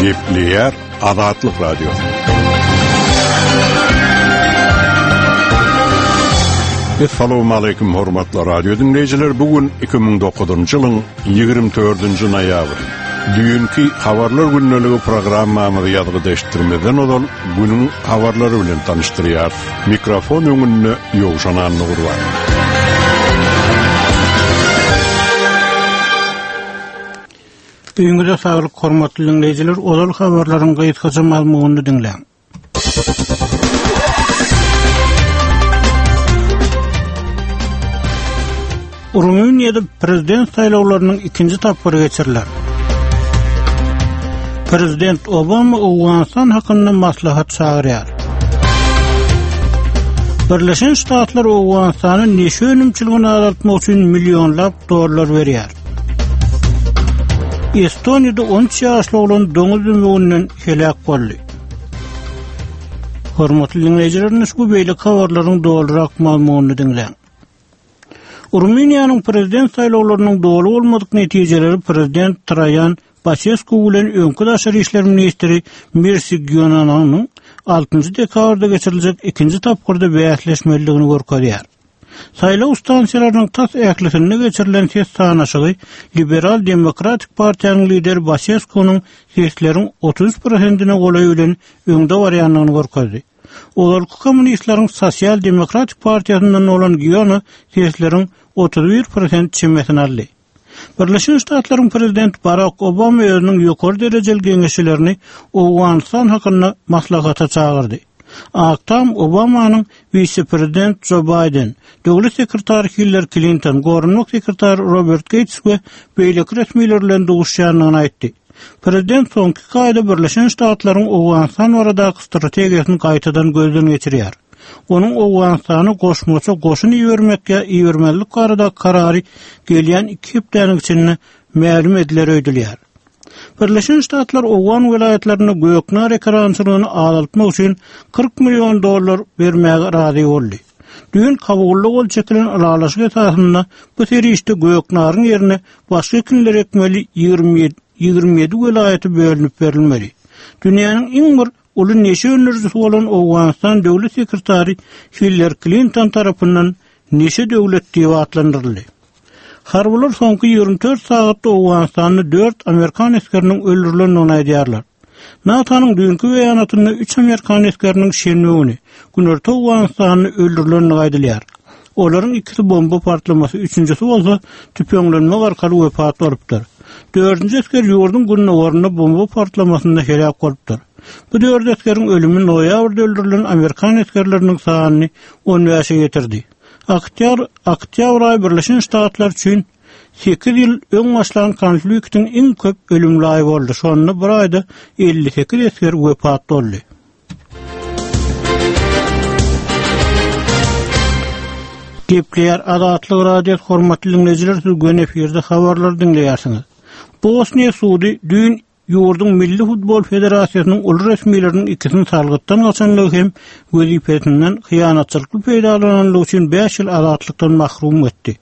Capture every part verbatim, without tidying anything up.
Gepleýär Azatlyk Radiosy. Assalamu hormatly radio dinleýjiler. Bu gün iki müň dokuzynjy ýylyň ýigrimi dördünji noýabry. Düýnki habarlar gündeligi programmamyzy ýazgyda eşitdirmezden ozal günüň habarlary bilen tanyşdyrýar. Mikrofon öňünde Ýowşan Annagurban. Öňüňize saglyk hormatly dinleýjiler, ozal habarlaryň gysgaça mazmunyny diňläň. Rumyniýada prezident saýlawlarynyň ikinji tapgyry geçiriler. Prezident Obama Owganystan hakynda maslahat çagyrýar. Birleşen Ştatlar Owganystana neşe önümçiligini azaltmak üçin millionlap dollar berýär. Estoniýada on üç ýaşly oglan doňuz dümewünden heläk boldy. Hormatly dinleýjiler, bu beýleki habarlaryň dolurak mazmunyny diňläň. Rumyniýanyň prezident saýlawlarynyň doly bolmadyk netijeleri prezident Traýan Basescu bilen öňki daşary işler ministri Mirsi Gionanyň altynjy dekabrda geçiriljek ikinji tapgyrda bäsleşmelidigini görkezýär. Saýlaw stansiýalarynyň tas ählisinde geçirilen ses sanaşygy Liberal Demokratik Partiýanyň lideri Basescu'nyň sesleriň otuz üç prosentine golaý bilen öňde barýandygyny görkezdi. Ozalky kommunistleriň Sosial Demokratik Partiýasyndan bolan Giona sesleriň otuz bir prosent çemesini aldy. Birleşen Ştatlaryň prezidenti Barack Obama özüniň ýokary derejeli geňeşçilerini Owganystan hakynda maslahata çagyrdy. Ak Tam Obamanyň wise-prezident Joe Biden, döwlet sekretary Hillary Clinton, goranmak sekretary Robert Gates we beýleki resmiler bilen duşuşýandygyny aýtdy. Prezident soňky iki aýda Birleşen Ştatlaryň Owganystan baradaky strategiýasyny gaýtadan gözden geçirýär. Onuň Owganystana goşmaça goşun ibermek ýa ibermezlik baradaky karary gelýän iki hepdäniň içinde mälim ediler öýdülýär. Birleşen Ştatlar Owgan welaýatlarynda göknar ekerançylygyny azaltmak üçin kyrk million dollar bermäge razy boldy. Düýn Kabulda gol çekilen ylalaşyk esasynda bu serişde göknaryň ýerine başga ekinler ekmeli ýigrimi ýigrimi ýedi welaýaty bölünip berilmeli. Dünýäniň iň bir uly neşe öndürijisi bolan Owganystan döwlet sekretary Hillary Clinton tarapyndan neşe döwlet diýip atlandyryldy. Harbylar soňky ýigrimi dört sagatda Owganystanda dört Amerikan esgeriniň öldürilendigini aýdýarlar. NATO-nyň düýnki beýanatynda üç Amerikan esgeriniň şenbe güni Günorta Owganystanda öldürilendigi aýdylýar. Olaryň ikisi bomba partlamasy, üçünjisi bolsa tüpeňlenmek arkaly wepat bolupdyr. Dördünji esger ýurduň gündogarynda bomba partlamasynda heläk bolupdyr. Bu dört esgeriň ölümi noýabrda öldürilen Amerikan esgerleriniň sanyny on bäşe getirdi. Oktýabr, oktýabr aýy Birleşen Ştatlar üçin sekiz ýyl öň başlan konfliktiň iň köp ölümli aýy boldy. Şonda bir aýda elli sekiz esger wepat boldy. Gepleýär Azatlyk Radiosy hormatly dinleýjiler, siz göni efirde habarlar diňleýärsiňiz. Bosniýa sudy düýn ýurduň Milli Futbol Federasiýasynyň uly resmileriniň ikisini salgytdan gaçanlygy hem wezipesinden hyýanatçylykly peýdalananlygy üçin bäş ýyl azatlykdan mahrum etdi.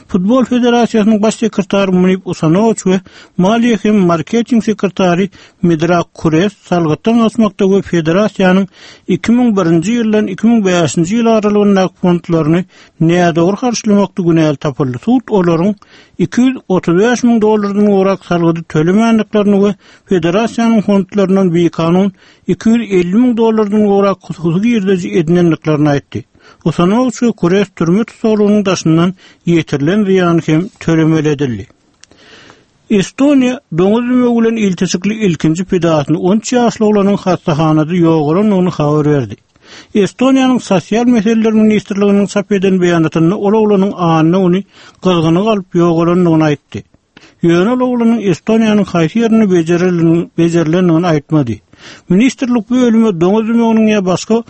Futbol Federasiýasynyň baş sekretary Munib Usanowiç we maliýe hem marketing sekretary Midrak Kures salgytdan gaçmakda we federasiýanyň iki müň birinji ýyldan iki müň bäşinji ýyl aralygyndaky fondlaryny nädogry harçlamakda günäli tapyldy. Sud olaryň iki ýüz otuz bäş müň dollardan gowrak salgydy tölemändiklerini we federasiýanyň fondlaryndan bikanun iki ýüz elli müň dollardan gowrak hususy girdeji edinendiklerini aýtdy. Usanowiç we Kures türme tussaglygynyň daşyndan ýetirilen zyýany hem tölemeli edildi. Estoniýa doňuz dümewi bilen ilteşikli ilkinji pidasyny on üç ýaşly oglanyň hastahanada ýogalandygyny habar berdi. Estoniýanyň Sosial meseleler ministrliginiň çap eden beýanatynda ol oglanyň anna güni gyzgyny galyp ýogalandygyny aýtdy. Ýöne ol oglanyň Estoniýanyň haýsy ýerinde bejerilendigini aýtmady. Ministrlik bu ölüme doňuz dümewiniň ýa başga,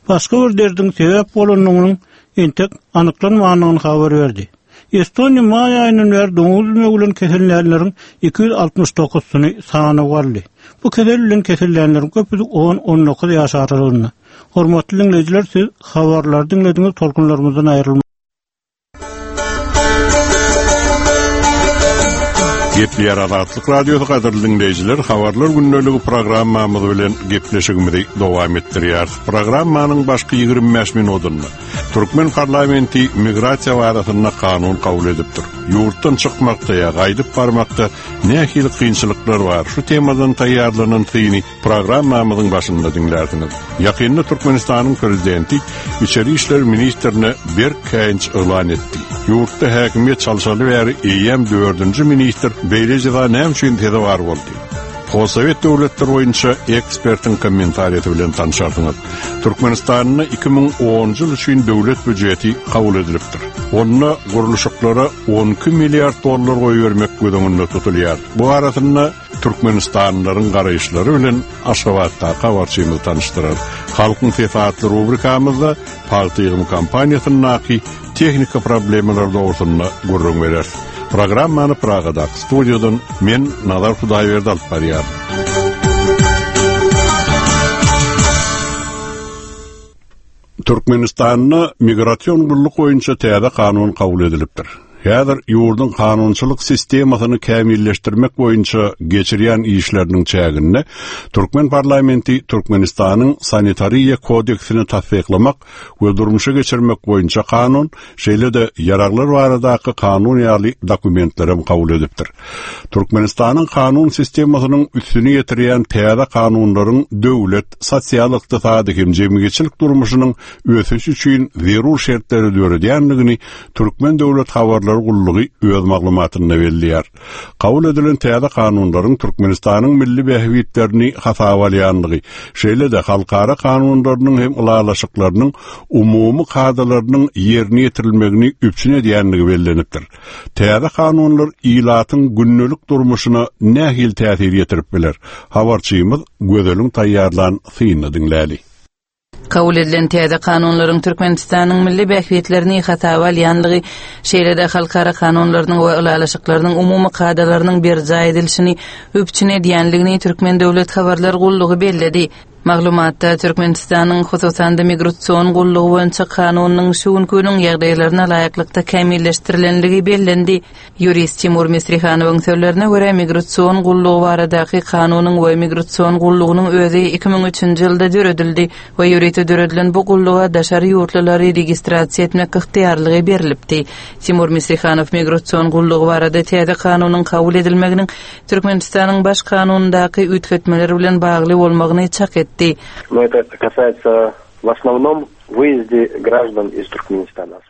başga bir derdiň sebäp bolandygynyň entek anyklanmandygyny habar berdi. Estoniýa maý aýyndan bäri doňuz dümewi bilen kesellänleriň iki ýüz altmyş dokuzysyny sanaw aldy. Bu kesel bilen kesellänleriň köpüsi on-on dokuz ýaş aralygynda. Hormatly dinleýjiler, siz habarlary diňlediňiz, tolkunlarymyzdan aýrylmaň. Gepleýär Azatlyk Radiosy gadyrly dinleýjiler, habarlar gündeligi programmamyz bilen gepleşigimizi dowam etdirýär. Programmanyň başky ýigrimi bäş minutynda Türkmen parlamenti migrasiýa barasynda kanun kabul edipdir. Ýurtdan çykmakda ýa gaýdyp barmakda nähili kynçylyklar bar? Şu temadan taýýarlanan syny programmamyzyň başynda diňlärsiňiz. Ýakynda Türkmenistanyň prezidenti İçeri İşler Ministrine berk käýinç yglan etdi. Ýurtda häkimiýet çalşaly bäri eýýäm dördünji ministr beýle jeza näme üçin sezewar boldy? Postsovet döwletler boýunça ekspertiň kommentariýasy bilen tanşarsyňyz. Türkmenistanda iki müň onunjy ýyl üçin döwlet býujeti kabul edilipdir. Onda gurluşyklara on iki milliard dollar goýbermek göz öňünde tutulýar. Bu arasynda Türkmenistanlylaryň garaýyşlary bilen Aşgabatda habarçymyz tanışdyrar. Halkyň sesi atly rubrikamyzda Pagta ýygym kampaniýasyndaky tehnika problemalar dogrusynda gürrüň berer. Programmany Pragadaky studiýadan men Nazar Hudaýberdi alyp barýaryn. Türkmenistanda migrasion gulluk boýunça täze kanun kabul edilipdir. Häzir ýurduň kanunçylyk sistemasyny kämilleşdirmek boýunça geçirýän işleriniň çäginde Türkmen parlamenti Türkmenistanyň sanitariýa kodeksini tassyklamak we durmuşa geçirmek boýunça kanun, şeýle-de ýaraglar baradaky kanun ýaly dokumentleri kabul edipdir. Türkmenistanyň kanun sistemasynyň üstüni ýetirýän täze kanunlaryň döwlet, sosial ykdysady hem jemgyýetçilik durmuşynyň ösüşi üçin zerur şertleri döredýändigini Türkmen döwlet habarlary gullugy öz maglumatynda belleýär. Kabul edilen täze kanunlaryň Türkmenistanyň milli bähbitlerini hasaba alýandygy, şeýle-de halkara kanunlarynyň hem ylalaşyklarynyň umumy kadalarynyň ýerine ýetirilmegini üpjün edýändigi bellenipdir. Täze kanunlar ilatyň gündelik durmuşyna nähili täsir ýetirip biler? Habarçymyz Gözeliň taýýarlan synyny diňläli. Kabul edilen täze kanunlaryň Türkmenistanyň milli bähbitlerini hasaba alýandygy, şeýle-de halkara kanunlarynyň we ylalaşyklarynyň umumy kadalarynyň berjaý edilişini üpjün edýändigini Türkmen döwlet habarlar gullugy belledi. Maglumatda Türkmenistanyň hususan-da migrasion gullugy boýunça kanunyň şu günkü günüň ýagdaýlaryna laýyklykda kämilleşdirilendigi bellendi. Ýurist Timur Misrihanowyň sözlerine görä migrasion gullugy baradaky kanunyň we migrasion gullugynyň özi iki müň üçünji ýylda döredildi we ýörite döredilen bu gulluga daşary ýurtlulary registrasiýa etmek ygtyýarlygy berilipdi. Timur Misrihanow migrasion gullugy barada täze kanunyň kabul edilmeginiň Türkmenistanyň baş kanunyndaky üýtgetmeler bilen bagly bolmagyny çak etdi. Но это касается в основном выезде граждан из Туркменистана.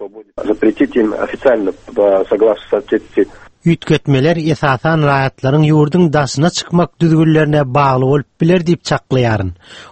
Запретить им официально, согласно статье. Üýtgetmeler esasan raýatlaryň ýurduň daşyna çykmak düzgünlerine bagly bolup biler diýip çaklaýaryn.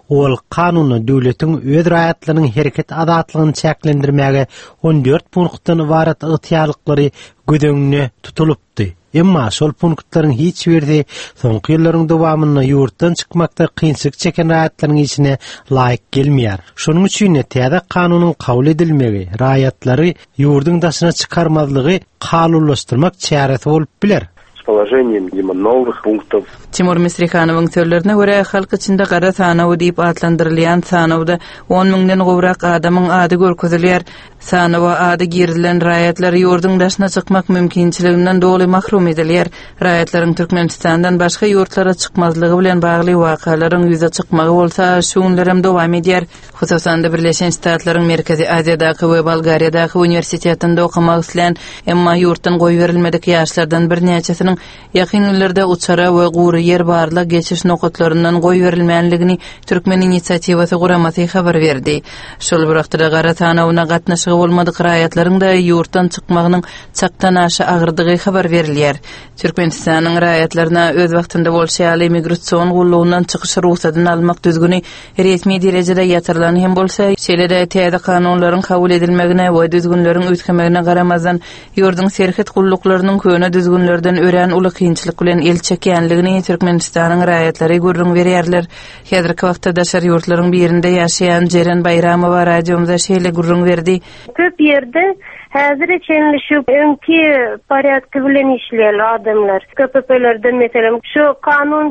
Ol kanuna döwletiň öz raýatlarynyň hereket azatlygyny çäklendirmäge on dört punktdan ibarat ygtyýarlyklary göz öňünde tutulypdy. Emma şol punktlaryň hiç birisi soňky ýyllaryň dowamynda ýurtdan çykmakda kynçylyk çeken raýatlaryň işine laýyk gelmeýär. Şonuň üçin täze kanunyň kabul edilmegi raýatlary ýurduň daşyna çykarmazlygy kanunlaşdyrmak çäresi bolup biler. С положением видимо, новых пунктов. Timur Misrihanowyň sözlerine görä halk içinde gara sanawy diýip atlandyrylýan sanawda on müňden gowrak adamyň ady görkezilýär. Sanawa ady girizilen raýatlar ýurduň daşyna çykmak mümkinçiliginden doly mahrum edilýär. Raýatlaryň Türkmenistandan başga ýurtlara çykmazlygy bilen bagly wakalaryň ýüze çykmagy bolsa şu günlerem dowam edýär. Hususan-da Birleşen Ştatlaryň Merkezi Aziýadaky we Bolgariýadaky uniwersitetinde okamak islän, emma ýurtdan goýberilmedik ýaşlardan birnäçesiniň ýakyn günlerde uçara we gury ýer barlyk geçiş nokatlaryndan goýberilmänligini Türkmen inisiatiwasy guramasy habar berdi. Şol bir wagtda gara sanawyna gatnaşygy bolmadyk raýatlaryň da ýurtdan çykmagynyň çakdan aşa agyrdygy habar berilýär. Türkmenistanyň raýatlaryna öz wagtynda bolşy ýaly migrasion gullugyndan çykyş rugsadyny almak düzgüni resmi derejede ýatyrylan hem bolsa, şeýle-de täze kanunlaryň kabul edilmegine we düzgünleriň üýtgemegine garamazdan ýurduň serhet gulluklarynyň köne düzgünlerden örän uly kynçylyk bilen el çekýänligini Türkmenistanyň raýatlary gürrüň berýärler. Häzirki wagtda daşary ýurtlaryň birinde ýaşaýan Jeren Baýramowa radiomyza şeýle gürrüň berdi. Köp ýerde häzir çenli şu öňki porýadky bilen işleýän adamlar. K P P-lerden meselem şu kanun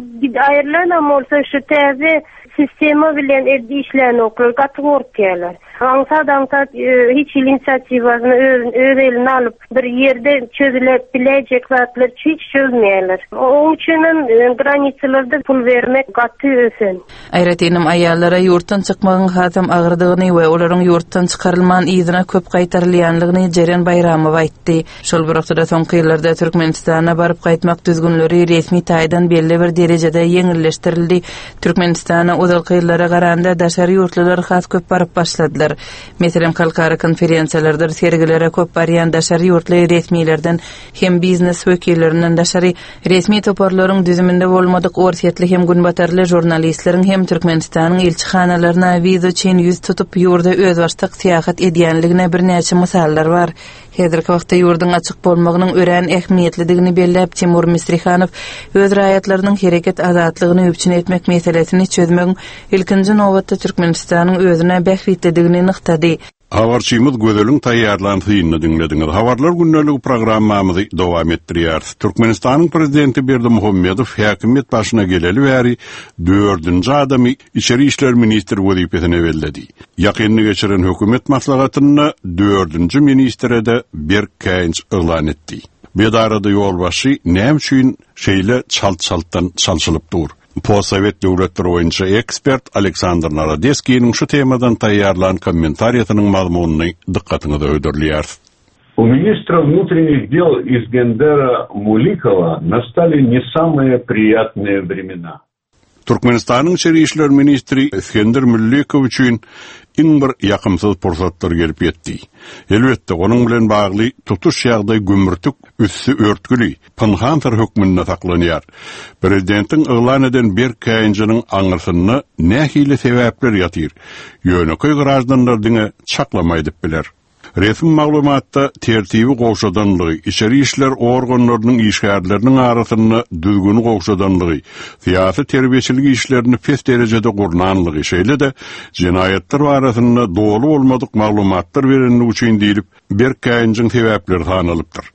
aýrylan bolsa şu täze Sistema bilen işlänoklar gaty gorkýarlar. Aňsat aňsat hiç inisiatiwasyny öz, öz eline alyp bir ýerde çözülip bilejek zatlar hiç çözmeýärler. Oň üçin hem granisalarda pul bermek gaty ösen. Aýratynam aýallara ýurtdan çykmagyň hasam agyrdygyny we olaryň ýurtdan çykarylman yzyna köp gaýtarylýanlygyny Jeren Baýramowa aýtdy. Şol bir wagtda soňky ýyllarda Türkmenistana baryp gaýtmak düzgünleri resmi taýdan belli bir derejede ýeňilleşdirildi. Türkmenistana ozalky ýyllara garanda daşary ýurtlular has köp baryp başladylar. Meselem, halkara konferensiýalardyr sergilere köp barýan daşary ýurtly resmilerden hem biznes wekillerinden daşary resmi toparlaryň düzüminde bolmadyk Orsýetli hem günbatarly žurnalistleriň hem Türkmenistanyň ilçihanalaryna wiza üçin ýüz tutup ýurda özbaşdak syýahat edýänligine birnäçe mysallar bar. Häzirki wagtda ýurduň açyk bolmagynyň örän ähmiýetlidigini belläp Timur Mistrihanow öz raýatlarynyň hereket azatlygyny üpjün etmek meselesini çözmegiň ilkinji nobatda Türkmenistanyň özüne bähbitlidigini nygtady. Habarçymyz Gözeliň taýýarlan synyny diňlediňiz. Habarlar gündelik programmamyzy dowam etdirýäris. Türkmenistanyň prezidenti Berdimuhamedow häkimiýet başyna geleli bäri dördünji adamy içeri işler ministri wezipesine belledi. Ýakynda geçiren hökümet maslahatynda dördünji ministre de berk käýinç yglan etdi. Bedarada ýolbaşçy näme üçin şeýle çalt-çaltdan çalşylyp dur? Postsovet döwletleri boýunça ekspert Aleksandr Narodeskiniň şu temadan taýýarlan kommentariýasynyň mazmunyny dykgatyňyza hödürleýär. У министра внутренних дел Искендера Муликова настали не самые приятные времена. Türkmenistanyň içeri işler ministri Iskender Müllikow üçin iň bir ýakymsyz pursatlar gelip ýetdi. Elbetde, onuň bilen bagly tutuş ýagdaý gümürtik üstü örtgüli, pynhan syr hökmünde saklanýar. Prezidentiň yglan eden berk käýinjiniň aňyrsynda nähili sebäpler ýatyr? Ýönekeý grajdanlar diňe çaklama edip biler. Resmi maglumatda tertibi gowşadanlygy, içeri işler organlarynyň işgärleriniň arasynda düzgüni gowşadanlygy, syýasy terbiýeçilik işlerini pes derejede gurnanlygy, şeýle-de jenaýatlar arasynda doly bolmadyk maglumatlar berenligi üçin diýilip berk käýinjiň sebäpleri sanalypdyr.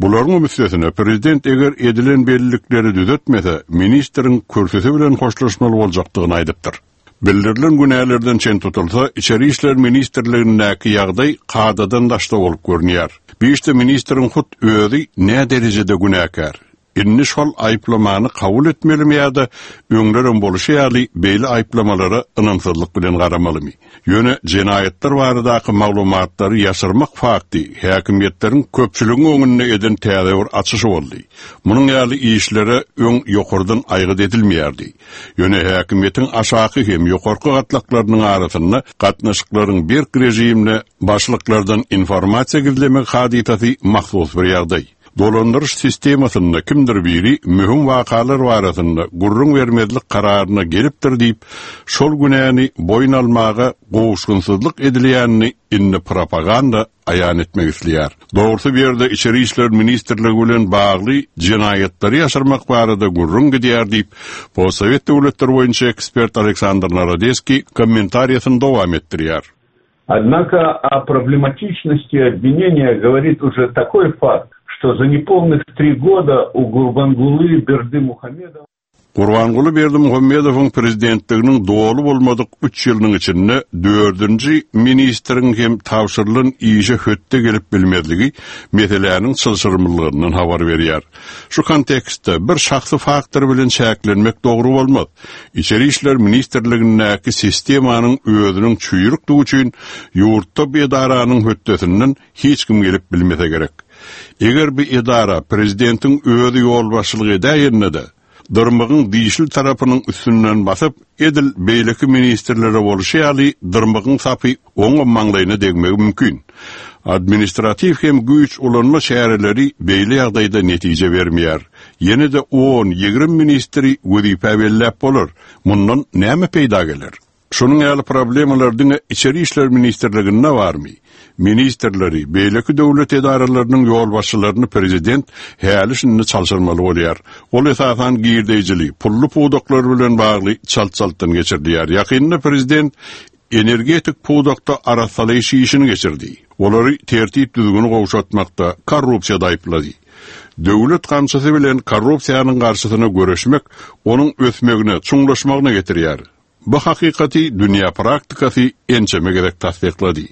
Bularyň üstesine prezident eger edilen bellilikleri düzetmese, ministriň kürsüsi bilen hoşlaşmaly boljakdygyny aýdypdyr. Bildirilen günälerden çen tutulsa, İçeri İşler Ministrligindäki ýagdaý kadadan daşda bolup görünýär. Bir işte ministriň hut özi ne derejede günäkär? Indi şol aýyplamany kabul etmelimi ýa-da öňlerem boluşy ýaly beýle aýyplamalara ynamsyzlyk bilen garamalymy? Ýöne jenaýatlar baradaky maglumatlary ýaşyrmak fakty häkimiýetleriň köpçüligiň öňünde eden täze bir açyşy boldy. Munuň ýaly işlere öň ýokardan aýgyt edilmeýärdi. Ýöne häkimiýetiň aşaky hem ýokarky gatlaklarynyň arasynda gatnaşyklaryň bir rejimine başlyklardan informasiýa gizlemek hadysasy mahsus bir ýagdaý. Dolandyryş sistemasynda kimdir biri möhüm wakalar barasynda gurrun bermezlik kararyna gelipdir diýip, şol günäni boýun almaga gowuşgynsyzlyk edilýänini indi propaganda aýan etmek isleýär. Dogrusu bir ýerde İçeri İşler Ministrligi bilen bagly jenaýatlary ýaşyrmak barada gurrun gidýär diýip, Postsovet döwletleri boýunça ekspert Aleksandr Narodeskiý kommentariýasyny dowam etdirýär. Однако о проблематичности обвинения говорит уже такой факт, что за неполных три года у Гурбангулы Бердымухамедова Gurbanguly Berdimuhamedowyň prezidentliginiň doly bolmadyk üç ýylynyň içinde dördünji ministriň hem tabşyrylan işe hötde gelip bilmezligi meseläniň çylşyrymlylygyndan habar berýär. Şu kontekstde bir şahsy faktor bilen çäklenmek dogry bolmaz. İçeri İşler Ministrligindäki sistemanyň özüniň çüýrükdigi üçin ýurtda bir edaranyň hötdesinden hiç kim gelip bilmese gerek. Eger bir edara prezidentiň özi ýolbaşçylyk edäýende-de dyrmygyň dişli tarapynyň üstünden basyp, edil beýleki ministrlere bolşy ýaly dyrmygyň sapy oňa maňlaýyna degmegi mümkin. Administrativ hem güýç ulanma çäreleri beýle ýagdaýda netije bermeýär. Ýene de on, ýigrimi ministri wezipe belläp bolar. Mundan näme peýda geler? Şonuň ýaly problemalar diňe İçeri İşler Ministrliginde barmy? Ministrleri, beýleki döwlet edaralarynyň ýolbaşçylaryny prezident häli şindi çalşyrmaly bolýar. Ol esasan girdeýjili, pully pudaklar bilen bagly çalt-çaltdan geçirilýär. Ýakynda prezident energetik pudakda arassalaýyş işini geçirdi. Olary tertip düzgüni gowşatmakda korrupsiýa aýyplady. Döwlet gamçysy bilen korrupsiýanyň garşysyna göreşmek onuň ösmegine, çuňlaşmagyna getirýär. Bu hakykaty dünýä praktikasy ençeme gezek tassyklady.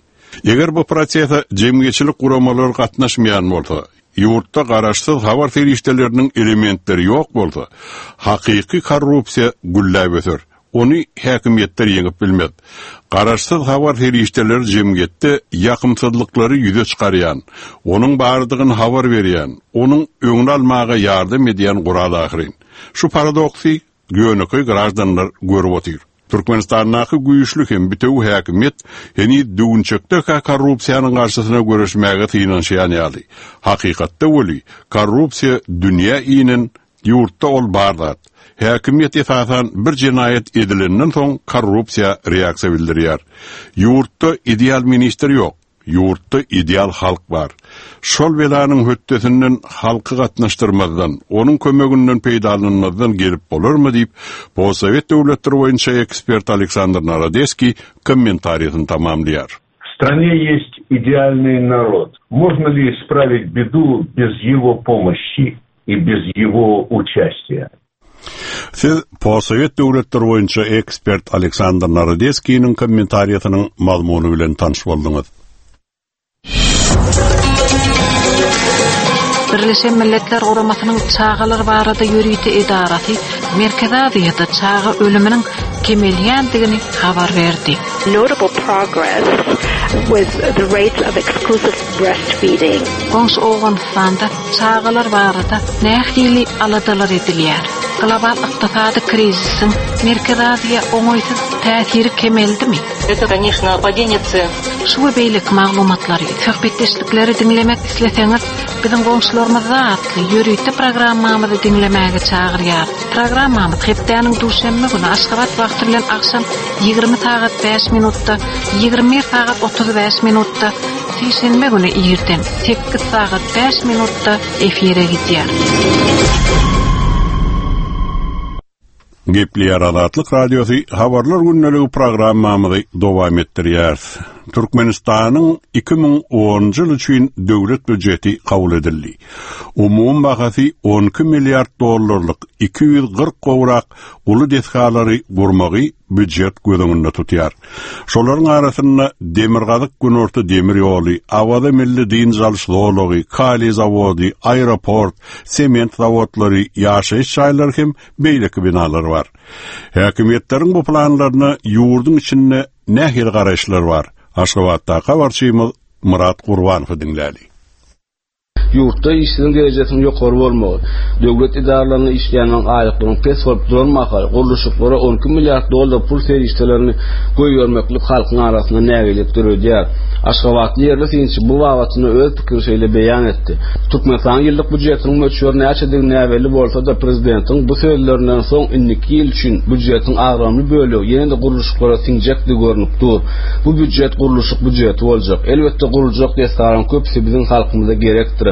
Eger bu prosese jemgyýetçilik guramalary gatnaşmaýan bolsa, ýurtda garaşsyz habar serişdeleriniň elementleri ýok bolsa, hakyky korrupsiýa gülläp öser. Ony häkimiýetler ýeňip bilmez. Garaşsyz habar serişdeleri jemgyýetde ýakymsyzlyklary ýüze çykarýan, onuň bardygyny habar berýän, onuň öňüni almaga ýardam edýän gural ahyryn. Şu paradoksy ýönekeý grajdanlar görüp otyr. Türkmenistandaky güýçli hem bütewi häkimiýet heniz düwünçekde korrupsiýanyň garşysyna göreşmäge synanyşýan ýaly. Hakykatda weli korrupsiýa dünýä inen ýurtda ol bar zat. Häkimiýet esasan bir jenaýat edilenden soň korrupsiýa reaksiýa bildirýär. Ýurtda ideal ministr ýok. Ýurtda ideal halk bar. Şol belanyň hötdesinden halky gatnaşdyrmazdan, onuň kömeginden peýdalanmazdan gelip bolarmy diýip, Postsowet döwletleri boýunça ekspert Aleksandr Narodeskiý kommentariýasyny tamamlaýar. В стране есть идеальный народ. Можно ли исправить беду без его помощи и без его участия? Siz Postsowet döwletleri boýunça ekspert Aleksandr Narodeskiniň kommentariýasynyň mazmuny bilen tanyş bolduňyz. Birleşen Milletler Guramasynyň çagalar barada ýörite edarasy Merkezi Aziýada çaga ölüminiň kemelýändigini habar berdi. Notable progress with the rates of exclusive breastfeeding. Goňşy Owganystanda çagalar barada nähili aladalar edilýär? Global ykdysady krizisiň Merkezi Aziýa oňaýsyz täsiri kemeldimi? Это, конечно, падение цен. Şu we beýleki maglumatlary, söhbetdeşlikleri diňlemek isleseňiz, biziň goňşularymyzda atly ýörite programmamyzy diňlemäge çagyrýar. Programmamyz hepdäniň duşenbe güni Aşgabat wagty bilen agşam ýigrimi sagat bäş minutda, ýigrimi bir sagat otuz bäş minutda, sişenbe güni irden sekiz sagat bäş minutda efire gidýär. Gepleýär Azatlyk Radiosy habarlar gündeligi programmamyzy dowam etdirýär. Türkmenistanyň iki müň onunjy ýyl üçin döwlet býujeti kabul edildi. Umum bahasy on iki milliard dollarlyk iki ýüz kyrk gowrak uly desgalary gurmagy býujet göz öňünde tutýar. Şolaryň arasynda Demirgazyk Günorta demir ýoly, Awaza milli dynç alyş zolagy, kaliý zawody, aeroport, sement zawodlary, ýaşaýyş jaýlary hem beýleki binalar bar. Häkimiýetleriň bu planlaryna ýurduň içinde nähili garaýyşlar bar? Aşgabatda habarçymyz Murat Gurbanowy diňläli. Ýurtda işsizligiň derejesiniň ýokary bolmagy, döwlet edaralarynda işleýänleriň aýlyklarynyň pes bolup duran mahaly gurluşyklara on iki milliard dollar pul serişdelerini goýbermeklik halkyň arasynda nägilelik döredýär. Aşgabatly ýerli synçy bu babatynda öz pikirini şeýle beýan etdi. Türkmenistanyň ýyllyk býujetiniň möçberi näçedigi näbelli bolsa-da prezidentiň bu sözlerinden soň indiki ýyl üçin býujetiň agramly bölegi ýene-de gurluşyklara siňjekdigi görnüp dur. Bu býujet gurluşyk býujeti boljak. Elbetde guruljak desgalaryň köpüsi biziň halkymyza gerekdir.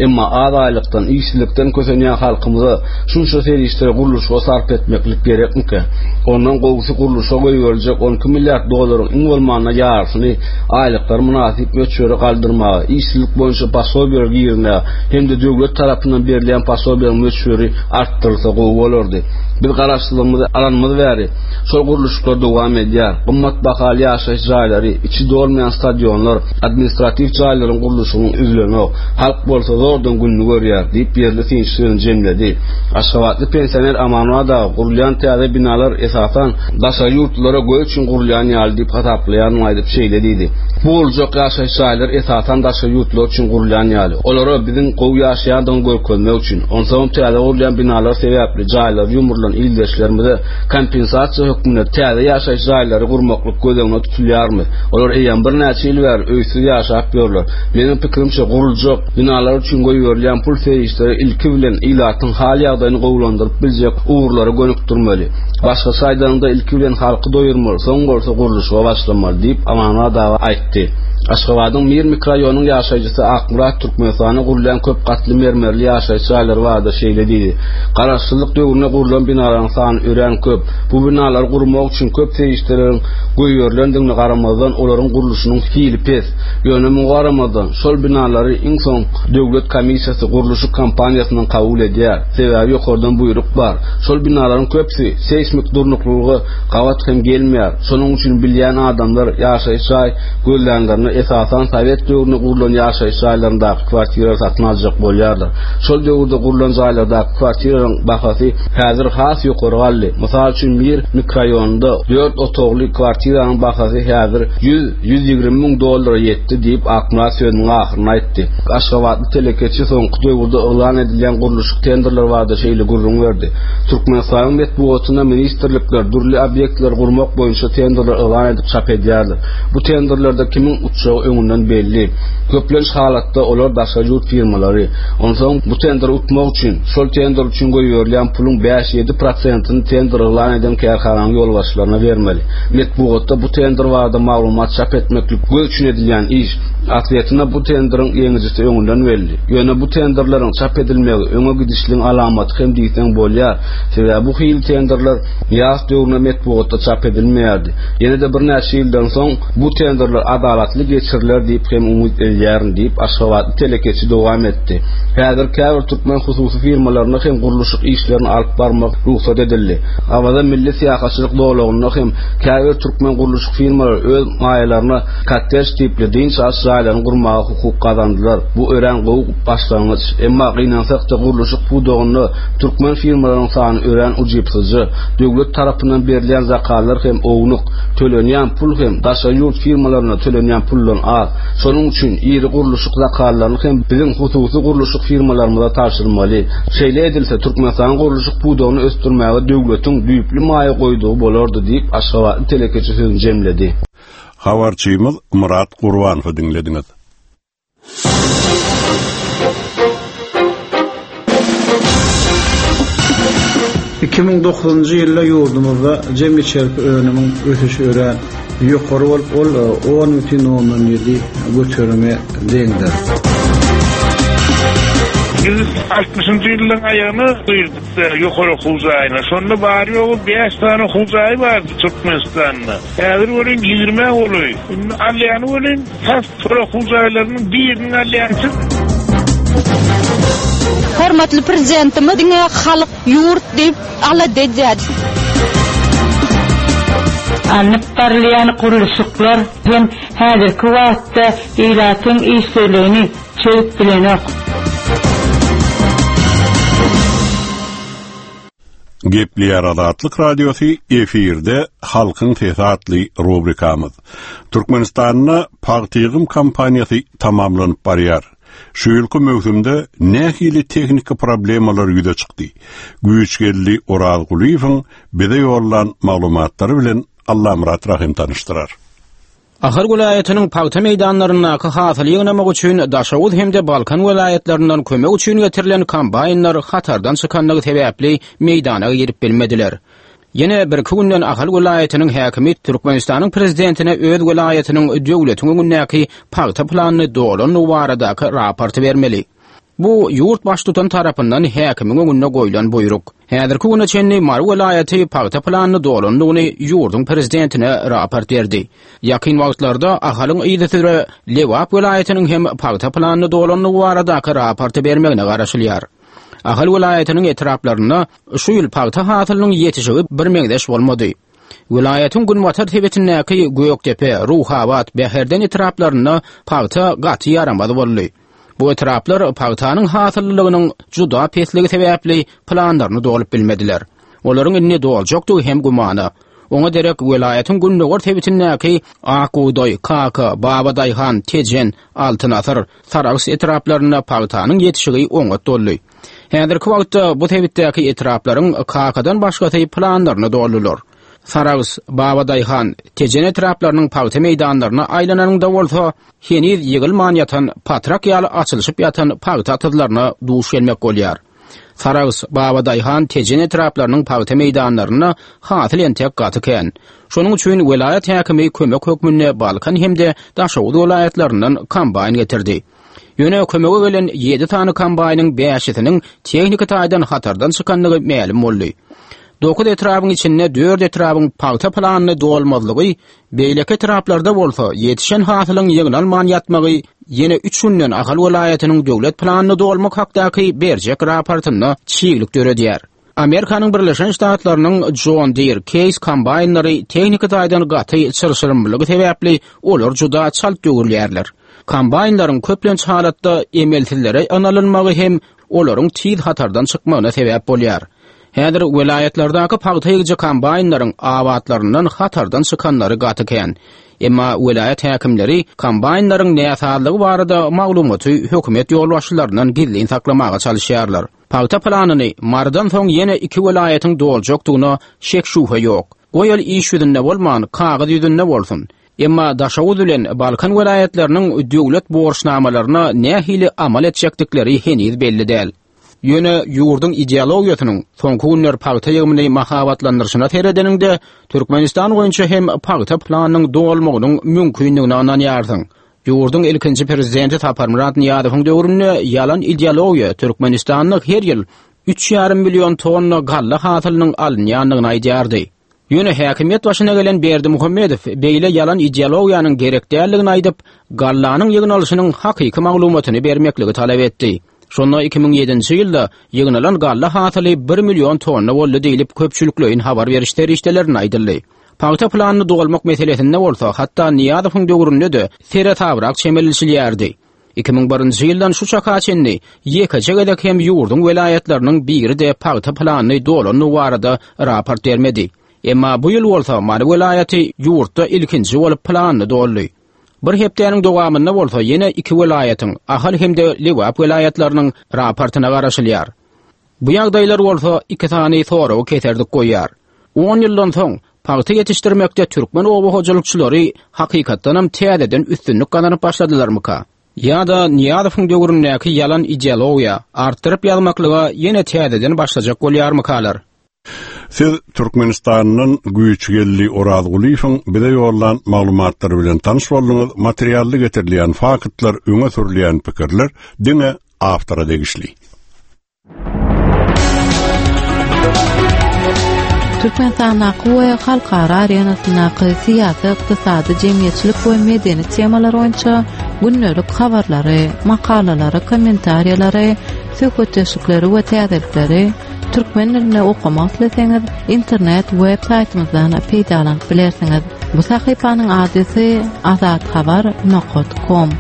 Emma az aýlykdan, işsizlikden kösenýän halkymyza şunça serişdeleri gurluşyga sarp etmeklik gerekmike? Ondan gowusy gurluşa goýberiljek on iki milliard dollaryň iň bolmanda ýarysyny aýlyklar mynasyp möçbere galdyrmaga, işsizlik boýunça posobiýalar girizmäge hem-de döwlet tarapyndan berilýän posobiýalaryň möçberi artdyrylsa gowy bolardy. Biz garaşsyzlygymyzy alanymyz bäri şol gurluşyklar dowam edýär. Gymmat bahaly ýaşaýyş jaýlary, içi dolmaýan stadionlar, administratiw jaýlaryň gurluşygynyň üzülenok. Halk bolsa zordan gününü görýär diýip ýerli synçy sözüni jemledi. Aşgabatly pensioner Amanwada gurulýan täze binalar esasan daşary ýurtlara göz üçin gurulýan ýaly diýip hasaplaýanyny aýdyp şeýle diýdi. Bu boljak ýaşaýyş jaýlar esasan daşary ýurtlar üçin gurulýan ýaly. Olara biziň gowy ýaşaýandygyny görkezmek üçin, onsoň täze gurulýan binalar sebäpli jaýlar ýumrulan ildeşlerimize kompensasiýa hökmünde täze ýaşaýyş jaýlary gurmaklyk göz öňünde tutulýarmy? Olar eýýäm birnäçe ýyl bäri öýsüz ýaşap ýörler. Meniň pikirimçe guruljak binalar üçin goýberilýän pul serişdeleri ilki bilen ilatyň hal ýagdaýyny gowulandyryp biljek ugurlara gönükdirmeli. Başgaça aýdanyňda ilki bilen halky doýurmaly, soň bolsa gurluşyga başlamaly diýip Amanmyrat aga aýtdy. Aşgabadyň Mir mikroraýonynyň ýaşaýjysy Akmyrat Türkmenistanda gurulýan köp gatly mermerli ýaşaýyş jaýlary barada şeýle diýdi. Garaşsyzlyk döwründe gurlan binalaryň sany örän köp. Bu binalary gurmak üçin köp serişdeleriň goýberilendigine garamazdan olaryň gurluşynyň hili pes. Ýöne muňa garamazdan şol binalary iň soň Döwlet komissiýasy gurluşyk kompaniýasyndan kabul edýär. Sebäbi ýokardan buýruk bar. Şol binalaryň köpüsi seýsmik durnuklylyga gabat hem gelmeýär. Şonuň üçin bilýän adamlar ýaşaýyş jaý gözlänlerinde esasan sowet döwründe gurlan ýaşaýyş jaýlaryndaky kwartiralary satyn aljak bolýarlar. Şol döwürde gurlan jaýlardaky kwartiralaryň bahasy häzir has ýokary galdy. Mysal üçin Mir mikroraýonynda dört otagly kwartiranyň bahasy häzir ýüz, ýüz ýigrimi müň dollara ýetdi diýip, Akmyrat sözüniň ahyrynda aýtdy. Aşgabatly telekeçi soňky döwürde yglan edilýän gurluşyk tenderleri barada şeýle gürrüň berdi. Türkmenistanyň metbugatynda ministrlikler dürli obýektleri gurmak boýunça tenderler yglan edip çap edýärler. Bu tenderlerde kimiň utjagy öňünden belli. Köplenç halatda olar daşary ýurt firmalary. Onsoň bu tenderi utmak üçin, şol tender üçin goýberilýän puluň bäş-ýedi prosentini tender yglan eden kärhananyň ýolbaşçylaryna bermeli. Metbugatda bu tender barada maglumat çap etmeklik göz üçin edilýän iş. Aslyýetinde bu tenderiň ýeňijisi öňünden belli. Ýöne bu tenderleriň çap edilmegi öňe gidişligiň alamaty hem diýseň bolýar. Sebäbi bu hili tenderler ýaz döwründe metbugatda çap edilmeýärdi. Ýene-de birnäçe ýyldan soň bu tenderler adalatly geçiriler diýip hem umyt edýärin diýip, aşgabatly telekeçi dowam etdi. Häzir käbir türkmen hususy firmalaryna hem gurluşyk işlerini alyp barmak rugsat edildi. Awaza milli syýahatçylyk zolagynda hem käbir türkmen gurluşyk firmalary öz maýalaryna kottej tipli dynç alyş jaýlaryny gurmaga hukuk gazandylar. Bu örän gowy başlangyç. Emma gynansak-da gurluşyk pudagynda türkmen firmalarynyň sany örän ujypsyzja. Döwlet tarapyndan berilýän zakazlar hem ownuk. Tölenýän pul hem daşary ýurt firmalaryna tölenýän puldan az. Şonuň üçin iri gurluşyk zakazlaryny hem biziň hususy gurluşyk firmalarymyza tabşyrmaly. Şeýle edilse, Türkmenistanyň gurluşyk pudagyny ösdürmäge döwletiň düýpli maýa goýdugy bolardy diýip, aşgabatly telekeçi sözüni jemledi. Habarçymyz Myrat Gurbanowy diňlediňiz. Iki müň dokuzynjy ýylda ýurdumyzda jem içerki önümiň ösüşi örän ýokary bolup, ol on bütin ondan ýedi göterime deňdir. Biz altmyşynjy ýyllaryň aýagyna girdik ýokary okuw jaýyna. Şonda bary-ýogy bäş sany okuw jaýy bardy Türkmenistanda. Häzir welin ýigrimi golaý. Indi alýany welin tas şol okuw jaýlarynyň biriniň alýançy. Hormatly prezidentimiz diňe halk, ýurt diýip alada edýär. Alnyp barylýan gurluşyklar hem häzirki wagtda ilatyň işsizligini çözüp bilenok. Gepleýär Azatlyk Radiosy efirde Halkyň Sesi atly rubrikamyz. Türkmenistanda pagta ýygym kampaniýasy tamamlanyp barýar. Şu ýylky möwsümde nähili tehniki problemalar ýüze çykdy? Güýçgeldi Orazgulyýewiň bize ýollan maglumatlary bilen Allamyrat Rahim tanyşdyrar. Ahal welaýatynyň pagta meýdanlaryndaky hasyly ýygnamak üçin Daşoguz hem-de Balkan welaýatlaryndan kömek üçin getirilen kombaýnlar hatardan çykanlygy sebäpli meýdana girip bilmediler. Ýene bir iki günden Ahal welaýatynyň häkimi Türkmenistanyň prezidentine öz welaýatynyň döwletiň öňündäki pagta planyny dolandygy baradaky raporty bermeli. Bu ýurt baştutan tarapyndan häkimiň öňünde goýlan buýruk. Häzirki güne çenli Mary welaýaty pagta planyny dolandygyny ýurduň prezidentine raport berdi. Ýakyn wagtlarda Ahalyň yzysüre Lebap welaýatynyň hem pagta planyny dolandygy baradaky raporty bermegine garaşylýar. Ahal welaýatynyň etraplarynda şu ýyl pagta hasylynyň ýetişigi bir meňzeş bolmady. Welaýatyň günbatar sebitindäki Gökdepe, Ruhabat, Bäherden etraplarynda pagta gaty ýaramaz boldy. Bu etraplar pagtanyň hasyllylygynyň juda pesligi sebäpli planlaryny dolup bilmediler. Olaryň indi doljakdygy hem gümana. Oňa derek welaýatyň gündogar sebitindäki Akbugdaý, Kaka, Babadaýhan, Tejen, Altyn Asyr, Sarahs etraplarynda pagtanyň ýetişigi oňat doldy. Häzirki wagtda bu sebitdäki etraplaryň Kakadan başgasy planlaryny doldular. Sarahs, Babadaýhan, Tejen etraplarynyň pagta meýdanlaryna aýlananyňda bolsa, heniz ýygylman ýatan, patrak ýaly açylyşyp ýatan pagta atyzlaryna duş gelmek bolýar. Sarahs, Babadaýhan, Tejen etraplarynyň pagta meýdanlarynda hasyl entek gaty kän. Şonuň üçin welaýat häkimi kömek hökmünde Balkan hem-de Daşoguz welaýatlaryndan kombaýn getirdi. Ýöne kömege gelen ýedi sany kombaýnyň bäşisiniň tehniki taýdan hatardan çykandygy mälim boldy. Dokuz etrabyň içinde dört etrabyň pagta planyny dolmazlygy, beýleki etraplarda bolsa ýetişen hasylyň ýygnalman ýatmagy ýene üç günden Ahal welaýatynyň döwlet planyny dolmak hakdaky berjek raportynda çiglik döredýär. Amerikanyň Birleşen Ştatlarynyň John Deere Case kombaýnlary tehniki taýdan gaty çyrşyrymlygy sebäpli olar juda çalt döwürýärler. Kombaýnlaryň köplenç halatda emelsizlere ynalynmagy hem olaryň tiz hatardan çykmagyna sebäp bolýar. Häzir welaýatlardaky pagta ýygyjy kombaýnlaryň abatlaryndan hatardan çykanlary gaty kän. Emma welaýat häkimleri kombaýnlaryň näsazlygy barada maglumaty hökümet ýolbaşçylaryndan gizlin saklamaga çalışýarlar. Pagta planyny Marydan soň ýene iki welaýatyň doljakdygyna şek şübhe ýok. Goýal iş ýüzünde bolman, kagyz ýüzünde bolsun. Emma Daşoguz bilen Balkan welaýatlarynyň döwlet borçnamalaryna nähili amal etjekdikleri heniz belli däl. Ýöne ýurduň ideologiýasynyň soňky günler pagta ýygymyny mahabatlandyryşyna seredeniňde Türkmenistan boýunça hem pagta planynyň dolmagynyň mümkindigine ynanýarsyň. Ýurduň ilkinji prezidenti Saparmyrat Nyýazowyň döwründe ýalan ideologiýa Türkmenistanda her ýyl üç ýarym million tonna galla hasylynyň alynýandygyny aýdýardy. Ýöne häkimiýet başyna gelen Berdimuhamedow beýle ýalan ideologiýanyň gerek däldigini aýdyp, gallanyň ýygnalyşynyň hakyky maglumatyny bermekligi talap etdi. Şonda iki müň ýedinji ýylda ýygnalan galla hasyly bir million tonna boldy diýlip köpçülikleýin habar beriş serişdelerine aýdyldy. Pagta planyny dolmak meselesinde bolsa hatda Nyýazowyň döwründe-de seresabrak çemeleşilýärdi. Iki müň birinji ýyldan şu çaka çenli ýekeje gezek hem ýurduň welaýatlarynyň biri-de pagta planyny dolandygy barada raport bermedi. Emma bu ýyl bolsa Mary welaýaty ýurtda ilkinji bolup planyny doldy. Bir hepdäniň dowamynda bolsa ýene iki welaýatyň, Ahal hem-de Lebap welaýatlarynyň raportyna garaşylýar. Bu ýagdaýlar bolsa iki sany soragy keserdik goýýar. On ýyldan soň pagta ýetişdirmekde türkmen oba hojalykçylary hakykatdanam täzeden üstünlik gazanyp başladylarmyka? Ýa-da Nyýazowyň döwründäki ýalan ideologiýa artdyryp ýazmaklyga ýene täzeden başlajak bolýarmykalar? Siz Türkmenistandan Güýçgeldi Orazgulyýewiň bize ýollan maglumatlary bilen tanyş bolduňyz. Materially getirilýän faktlar, öňe sürülýän pikirler diňe awtora degişli. Türkmenistandaky we halkara arenasyndaky syýasy, ykdysady, jemgyýetçilik we medeni temalar boýunça gündelik habarlary, makalalary, kommentariýalary, söhbetdeşlikleri we täzelikleri türkmen dilinde okamak isleseňiz, internet web saýtymyzdan peýdalanyp bilersiňiz. Bu sahypanyň adresi azathabar nokta com.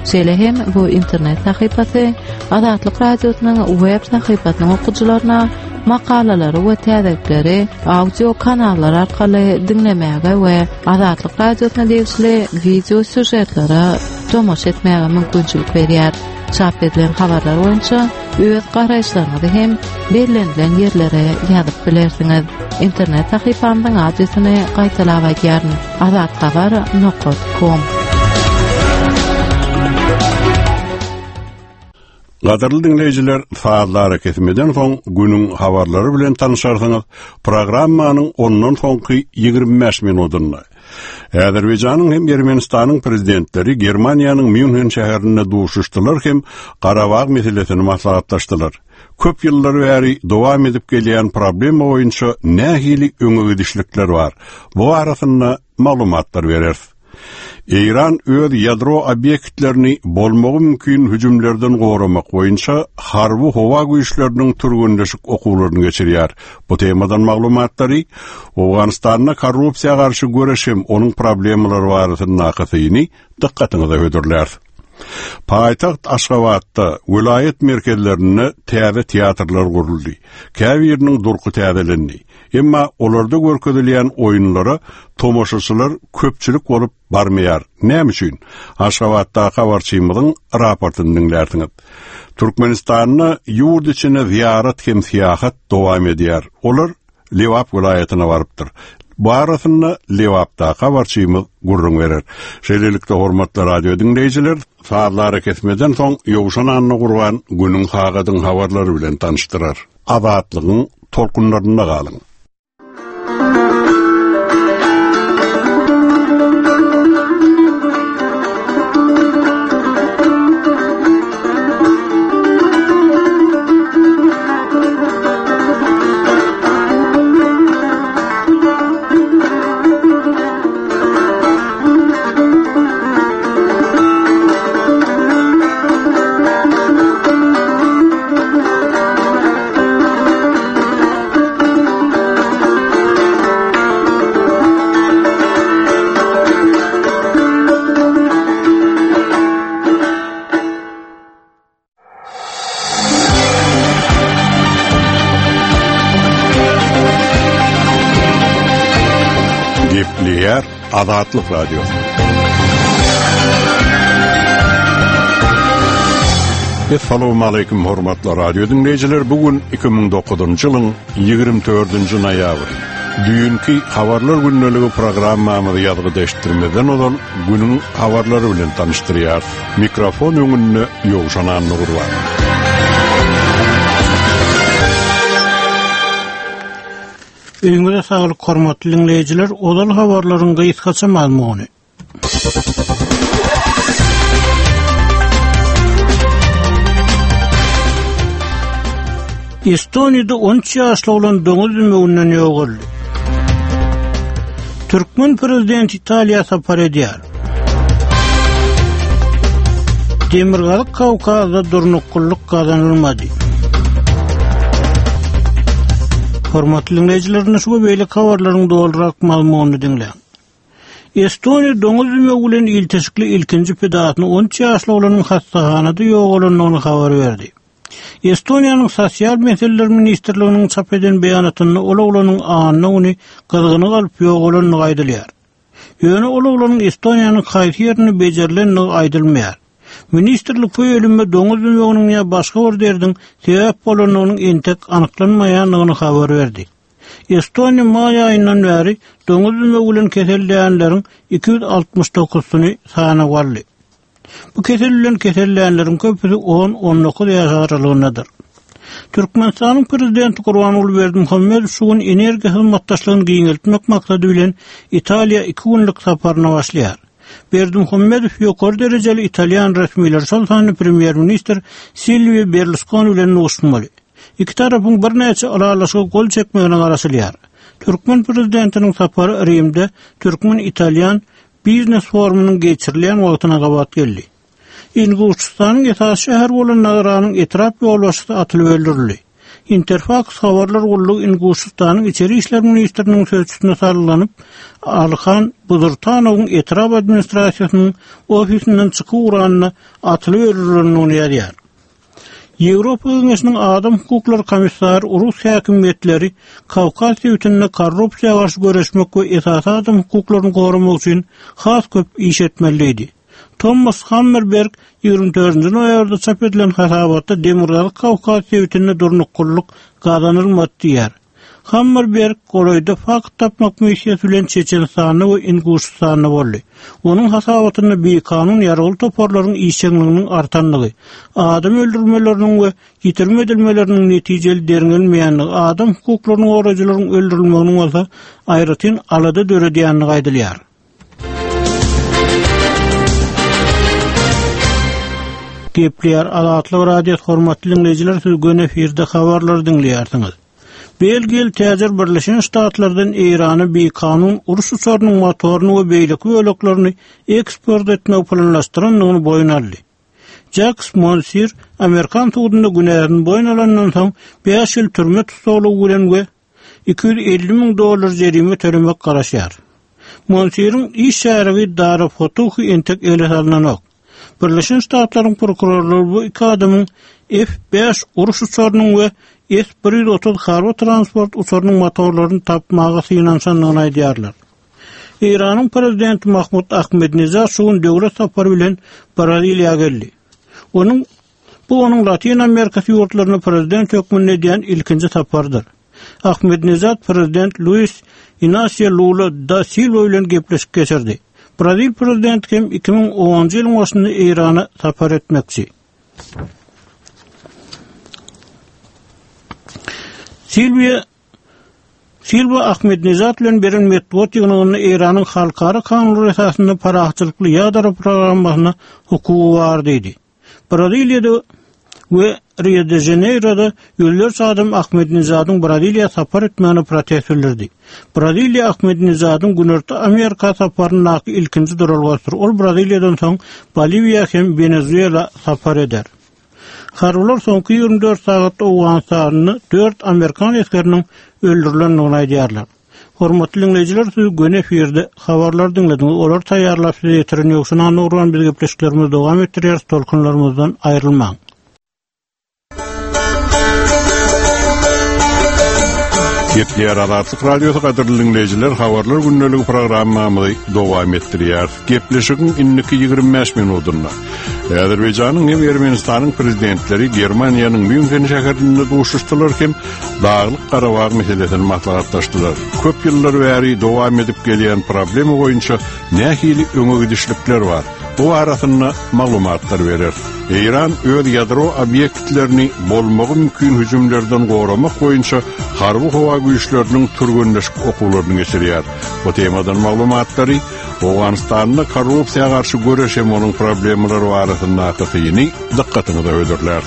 Şeýle hem bu internet sahypasy Azatlyk Radiosynyň web sahypasynyň okyjylaryna makalalary we täzelikleri audio kanallar arkaly diňlemäge we Azatlyk Radiosyna degişli video süžetlere tomaşa etmäge mümkinçilik berýär. Çap edilen habarlar boýunça öz garaýyşlaryňyzy hem bellenilen ýerlere ýazyp bilersiňiz. Internet sahypamyzyň adresini gaýtalap aýdýaryn: azathabar nokta com. Gadyrly dinleýjiler, sazlara kesimeden soň günüň habarlary bilen tanışarsyňyz. Programmanyň ondan soňky ýigrimi bäş minutynda Azerbaýjanyň hem Ermenistanyň prezidentleri Germaniýanyň Mýunhen şäherinde duşuşdylar hem Garabag meselesini maslahatlaşdylar. Köp ýyllar bäri dowam edip gelýän problema boýunça nähili öňe gidişlikler bar? Bu arasynda maglumatlar bereris. Eýran öz ýadro obýektlerini bolmagy mümkin hüjümlerden goramak boýunça harby howa güýçleriniň türgenleşik okuwlaryny geçirýär. Bu temadan maglumatlary Owganystanda korrupsiýa garşy göreş hem onuň problemalary barasyndaky syny dykgatyňyza hödürlär. Paýtagt Aşgabatda welaýat merkezlerinde täze teatrlar guruldy. Käbiriniň durky täzelendi. Emma olarda görkezilýän oýunlara tomaşaçylar köpçülik bolup barmaýar. Näme üçin? Aşgabatda habarçymyzyň raportyny diňlärsiňiz. Türkmenistanda ýurt içine ziýarat hem syýahat dowam edýär. Olar Lebap welaýatyna barypdyr. Bu arasynda Lebapda habarçymyz gürrüň berer. Şeýlelikde hormatly radio diňleýjiler, sazlara kesmeden soň Ýowşan Annagurban günüň sagadyň habarlary bilen tanyşdyrar. Azatlygyň tolkunlarynda galyň. Gepleýär Azatlyk Radiosy. Essalamu aleýkum hormatly radio dinleýjiler. Bu gün iki müň dokuzynjy ýylyň ýigrimi dördünji noýabry. Düýnki habarlar gündeligi programmamyzy ýazgy deşdirmeden ozal günüň habarlary bilen tanyşdyrýar. Mikrofon öňünde Ýowşan Annagurban. Öňüňize saglyk hormatly dinleýjiler, ozal habarlaryň gysgaça mazmuny. Estoniýada on üç ýaşly oglan doňuz dümewünden ýogaldy. Türkmen prezidenti Italiýa sapar edýär. Demirgazyk Kawkazda durnuklylyk gazanylmady. Hormatly dinleýjiler, şu we beýleki habarlaryň dolurak mazmunyny diňläň. Estoniýa doňuz dümewi bilen ilteşikli ilkinji pidasyny on üç ýaşly oglanyň hastahanada ýogalandygyny habar berdi. Estoniýanyň Sosial Meseleler Ministrliginiň çap eden beýanatynda ol oglanyň anna güni gyzgyny galyp ýogalandygy aýdylýar. Ýöne ol oglanyň Estoniýanyň haýsy ýerinde bejerilendigi aýdylmaýar. Ministrlik bu ölüme doňuz dümewiniň ýa başga bir derdiň sebäp bolandygynyň entek anyklanmaýandygyny habar berdi. Estoniýa maý aýyndan bäri doňuz dümewi bilen kesellänleriň iki ýüz altmyş dokuzyny sanawa aldy. Bu kesel bilen kesellänleriň köpüsi on on dokuz ýaş aralygyndadyr. Türkmenistanyň prezidenti Gurbanguly Berdimuhamedow şu gün energiýa hyzmatdaşlygyny giňeltmek maksady bilen Italiýa iki günlük saparyna başlaýar. Berdimuhamedow ýokary derejeli italýan resmileri, şol sanda premýer-ministr Silwio Berlusconi bilen duşmaly. Iki tarapyň birnäçe ylalaşyga gol çekmegine garaşylýar. Türkmen prezidentiniň sapary Rimde Türkmen-Italýan biznes forumynyň geçirilýän wagtyna gabat geldi. Inguşystanyň esasy şäheri bolan Nagranyň etrap ýolbaşçysy atylyp öldürildi. Interfax habarlar gullugy Inguşystanyň İçeri İşler Ministriniň sözçüsine salgylanyp, Alhan Buzurtanowyň etrap administrasiýasynyň ofisinden çykyp ugranyna atylyp öldürilendigini ýazýar. Ýewropa Geňeşiniň Adam Hukuklary Komissary Rus häkimiýetleri Kawkaz sebitinde korrupsiýa garşy göreşmek we esasy adam hukuklaryny goramak üçin has köp iş etmeliydi. Thomas Hammerberg ýigrimi dördünji noýabrda çap edilen hasabatda Demirgazyk Kawkaz sebitinde durnuklylyk gazanylmady diýär. Hammerberg golaýda fakt tapmak missiýasy bilen Çeçenistanda we Inguşystanda boldy. Onuň hasabatynda bikanun ýaragly toparlaryň işjeňliginiň artandygy, adam öldürmeleriniň we ýitirim edilmeleriniň netijeli derňelmeýändigi, adam hukuklaryny goraýjylaryň öldürilmeginiň bolsa aýratyn alada döredýändigi aýdylýar. Gepleýär Azatlyk Radiosy hormatly dinleýjiler, siz göni efirde habarlary diňleýärsiňiz. Belgiýaly täjir Birleşen Ştatlardan Eýrana bikanun uruş uçarynyň motoryny we beýleki böleklerini eksport etmek planlaşdyrandygyny boýun aldy. Jacques Monsir Amerikan sudunda günäsini boýun alandan soň bäş ýyl türme tussaglygy bilen we iki ýüz elli müň dollar jerime tölemek garaşýar. Monsiriň iş şärigi Dara Fotuhi entek ele salynanok. Birleşen Ştatlaryň prokurorlary bu iki adamyň F bäş uruş uçarynyň we S bir ýüz otuz harby transport uçarynyň motorlaryny tapmaga synanyşandygyny aýdýarlar. Eýranyň prezidenti Mahmud Ahmedinejad şu gün döwlet sapary bilen Braziliýa geldi. Onuň, bu onuň Latin Amerikasy ýurtlaryna prezident hökmünde edýän ilkinji saparydyr. Ahmedinejad prezident Luis Inacio Lula da Silva bilen gepleşik geçirdi. Brazil prezidenti hem iki müň onunjy ýylyň başynda Eýrana sapar etmekçi. Silvia Silva Ahmedinejad bilen beren metbugat ýygnagynda Eýranyň halkara kanunlary esasynda parahatçylykly ýadro programmasyna hukugy bar diýdi. Braziliýada we Rio de Janeiroda ýüzlerçe adam Ahmedinejadyň Braziliýa sapar etmegine protest bildirdi. Braziliýa Ahmedinejadyň Günorta Amerika saparyndaky ilkinji duralgasydyr. Ol Braziliýadan soň Boliwiýa hem Wenezuela sapar eder. Harbylar soňky ýigrimi dört sagatda Owganystanda dört Amerikan esgeriniň öldürilendigini aýdýarlar. Hormatly dinleýjiler, siz göni efirde habarlar diňlediňiz. Olar taýýarlap size ýetiren Ýowşan Annagurban biz gepleşiklerimizi dowam etdirýäris. Tolkunlarymyzdan aýrylmaň. Gepleýär Azatlyk Radiosy gadyrly dinleýjiler, habarlar gündeligi programmamyzy dowam etdirýär. Gepleşigiň indiki ýigrimi bäş minutynda Azerbaýjanyň hem Ermenistanyň prezidentleri Germaniýanyň Münhen şäherinde duşuşdylar hem Daglyk Garabag meselesini maslahatlaşdylar. Köp ýyllar bäri dowam edip gelýän problema boýunça nähili öňe gidişlikler bar? Bu arasynda maglumatlar berer. Eýran öz ýadro obýektlerini bolmagy mümkin hüjümlerden goramak boýunça harby howa güýçleriniň türgenleşik okuwlaryny geçirýär. Bu temadan maglumatlary Owganystanda korrupsiýa garşy göreş hem onuň problemalary barasyndaky syny dykgatyňyza hödürler.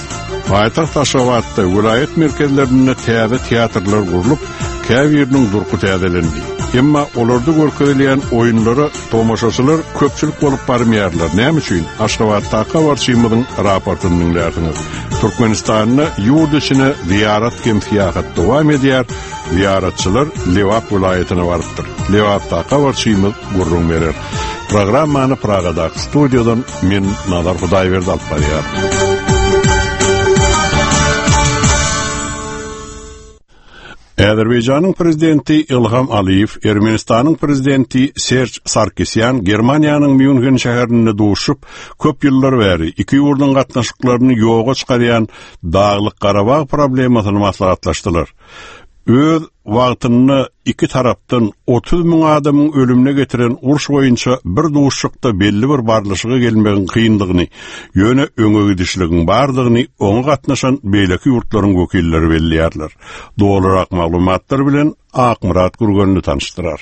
Paýtagt Aşgabatda welaýat merkezlerinde täze teatrlar gurlup, käbiriniň durky täzelendi. Emma olarda görkezilýän oýunlara tomaşaçylar köpçülik bolup barmaýarlar. Näme üçin? Aşgabatdaky habarçymyzyň raportyny diňlärsiňiz. Türkmenistanda ýurt içine ziýarat hem syýahat dowam edýär. Ziýaratçylar Lebap welaýatyna barypdyr. Lebapdaky habarçymyz gürrüň berer. Programmany Pragadaky studiýadan men Nazar Hudaýberdi alyp barýar. Azerbaýjanyň prezidenti Ilham Aliýew, Ermenistanyň prezidenti Serj Sarkisýan Germaniýanyň Münhen şäherinde duşup, köp ýyllar bäri iki ýurduň gatnaşyklaryny ýoga çykarýan Daglyk Garabag problemasyny maslahatlaşdylar. Öz wagtynda iki tarapdan otuz müň adamyň ölümine getiren uruş boýunça bir duşuşykda belli bir barlyşyga gelmegiň kyndygyny, ýöne öňe gidişligiň bardygyny oňa gatnaşan beýleki ýurtlaryň wekilleri belleýärler. Dolurak maglumatlar bilen Akmyrat Gürgenli tanyşdyrar.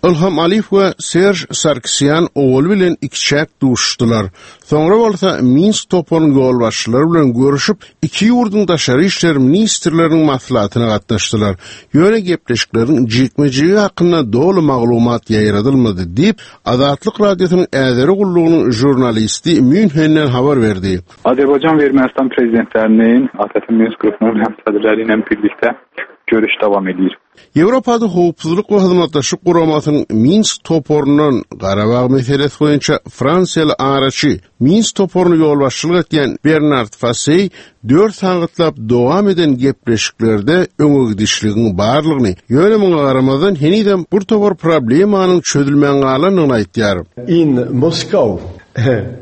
Ilham Aliýew we Serj Sarkisýan owal bilen iki çäk duşdular. Soňra bolsa Minsk toparynyň ýolbaşçylary bilen görüşip, iki ýurduň daşary işler ministrleriniň maslahatyna gatnaşdylar. Ýöne gepleşikleriň jikme-jigi hakynda doly maglumat ýaýradylmady diýip, Azatlyk Radiosynyň Äzeri gullugynyň žurnalisti Münhenden habar berdi. Azerbaycan ve Ermenistan prezidentlerinin A T T Minsk grubunun sədrləri ilə birlikdə görüş davam edir. Ýewropada howpsuzlyk we hyzmatdaşlyk guramasynyň Minsk toparyndan Garabag meselesi boýunça Fransiýaly araçy Minsk toparyny ýolbaşçylyk etýän Bernard Fassey dört sagatlap dowam eden gepleşiklerde öňe gidişligiň barlygyny, ýöne muňa garamazdan henizem bir topar problemanyň çözülmän galandygyny aýtýar. In Moscow,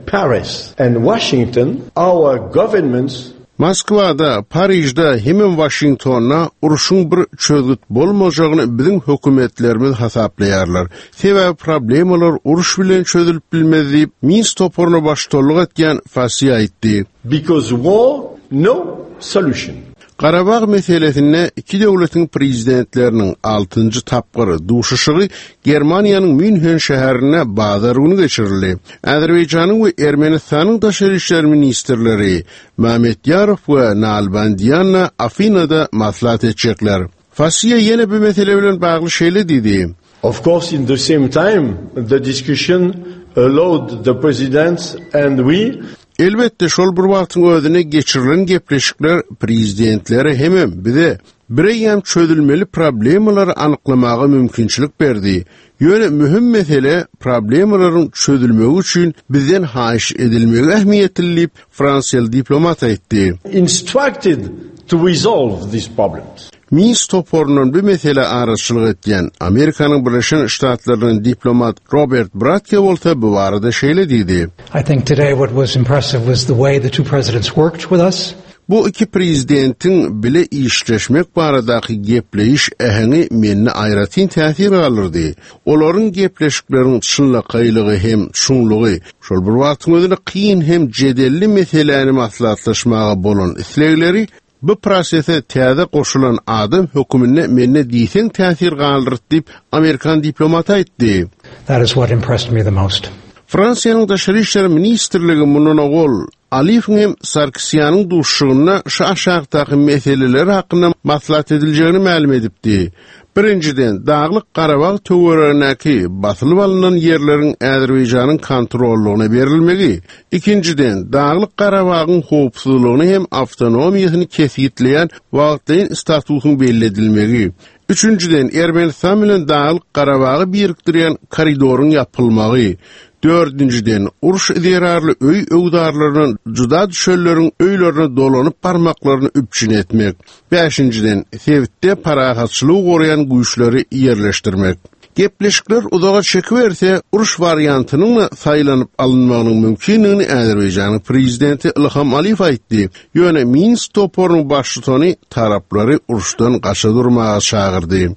Paris and Washington, our governments Moskwada, Parijde, hemem Washingtonda uruşyň bir çözgüt bolmajagyny biziň hökümetlerimiz hasaplaýarlar. Sebäbi problemalar uruş bilen çözülip bilmez diýip, Minsk toparyna baştutanlyk etýän Fassey aýtdy. Because war, no solution. Garabag meselesinde iki döwletiň prezidentleriniň altynjy tapgyry duşuşygy Germaniýanyň Münhen şäherinde bazar günü geçirildi. Azerbaýjanyň we Ermenistanyň daşary işler ministrleri Mehmet Ýarow we Nalbandiýanna Afinada maslahat etjekler. Fassiýa ýene bir mesele bilen bagly şeýle diýdi. Of course, in the same time, the discussion allowed the presidents and we Elbetde şol bir wagtyň özüne geçirilen gepleşikler prezidentlere hemem bize bireýem çözülmeli problemalary anyklamaga mümkinçilik berdi. Ýöne möhüm mesele problemalaryň çözülmegi üçin bizden haýyş edilmegi ähmiýetli diýip Fransiýaly diplomat aýtdy. Instructed to resolve these problems. Minsk toparyndan bir mesele araçylyk etýän Amerikanyň Birleşen Ştatlarynyň diplomat Robert Bratke bolsa bu barada şeýle diýdi. I think today what was impressive was the way the two presidents worked with us. Bu iki prezidentiň bile işleşmek baradaky gepleýiş äheňi mende aýratyn täsir galdyrdy. Olaryň gepleşikleriň çynlakaýlygy hem çuňlugy, şol bir wagtyň özünde kyn hem jedelli meseläni maslahatlaşmaga bolan islegleri bu prosese täze goşulan adam höküminde mende diýseň täsir galdyrdy diýip Amerikan diplomaty aýtdy. That is what impressed me the most. Fransiýanyň Daşary işler ministrligi mundan owal Aliýewiň hem Sarkisýanyň duşuşygynda şu aşakdaky meseleler hakynda maslahat ediljegini mälim edipdi. Birinjiden, Daglyk Garabag töweregindäki basylyp alynan ýerleriň Azerbaýjanyň kontrollygyna berilmegi. Ikinjiden, Daglyk Garabagyň howpsuzlygyny hem awtonomiýasyny kesgitleýän wagtlaýyn statusyň belli edilmegi. Üçünjiden, Ermenistan bilen Daglyk Garabagy birikdirýän koridoryň ýapylmagy. Dördünjiden, uruş zerarly öý öwdarlarynyň juda düşenleriň öýlerine dolanyp barmaklaryny üpjün etmek. Bäşinjiden, sebitde parahatçylygy goraýan güýçleri ýerleşdirmek. Gepleşikler uzaga çekiberse, uruş wariantynyň saýlanyp alynmagynyň mümkinligini Azerbaýjanyň prezidenti Ilham Aliýew aýtdy. Ýöne Minsk toparynyň baştutany taraplary uruşdan gaça durmaga çagyrdy.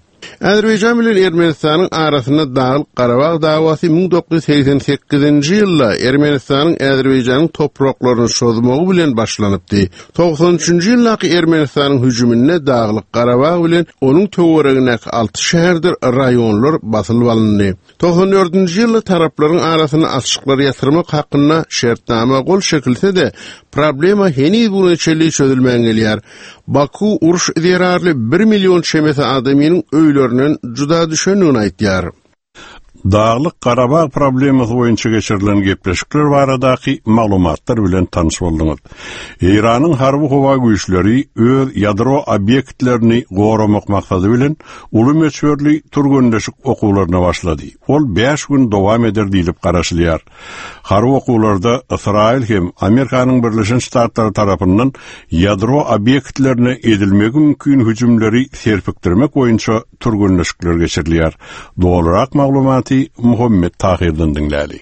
Azerbaýjan bilen Ermenistanyň arasynda Daglyk Garabag dawasy müň dokuz ýüz segsen sekizinji ýylda Ermenistanyň Azerbaýjanyň topraklaryny çozmagy bilen başlanypdy. Togsan üçünji ýyldaky Ermenistanyň hüjüminde Daglyk Garabag bilen onuň töweregindäki alty şäherdir raýonlar basylyp alyndy. Togsan dördünji ýylda taraplaryň arasynda açyklary ýatyrmak hakynda şertnama gol çekilse-de, problema heniz bugüne çenli çözülmän gelýär. Baku uruş zerarly bir milyon çemesi adamynyň öýlerinden juda düşendigini aýtýar. Daglyk Garabag problemasy boýunça geçirilen gepleşikler baradaky maglumatlar bilen tanyş bolduňyz. Eýranyň harby howa güýçleri öz ýadro obýektlerini goramak maksady bilen uly möçberli türgenleşik okuwlaryna başlady. Ol bäş gün dowam eder diýlip garaşylýar. Harby okuwlarda Ysraýyl hem Amerikanyň Birleşen Ştatlary tarapyndan ýadro obýektlerine edilmegi mümkin hüjümleri serpikdirmek boýunça türgenleşikler geçirilýär. Dolurak maglumaty Muhammed Tahirden diňläli.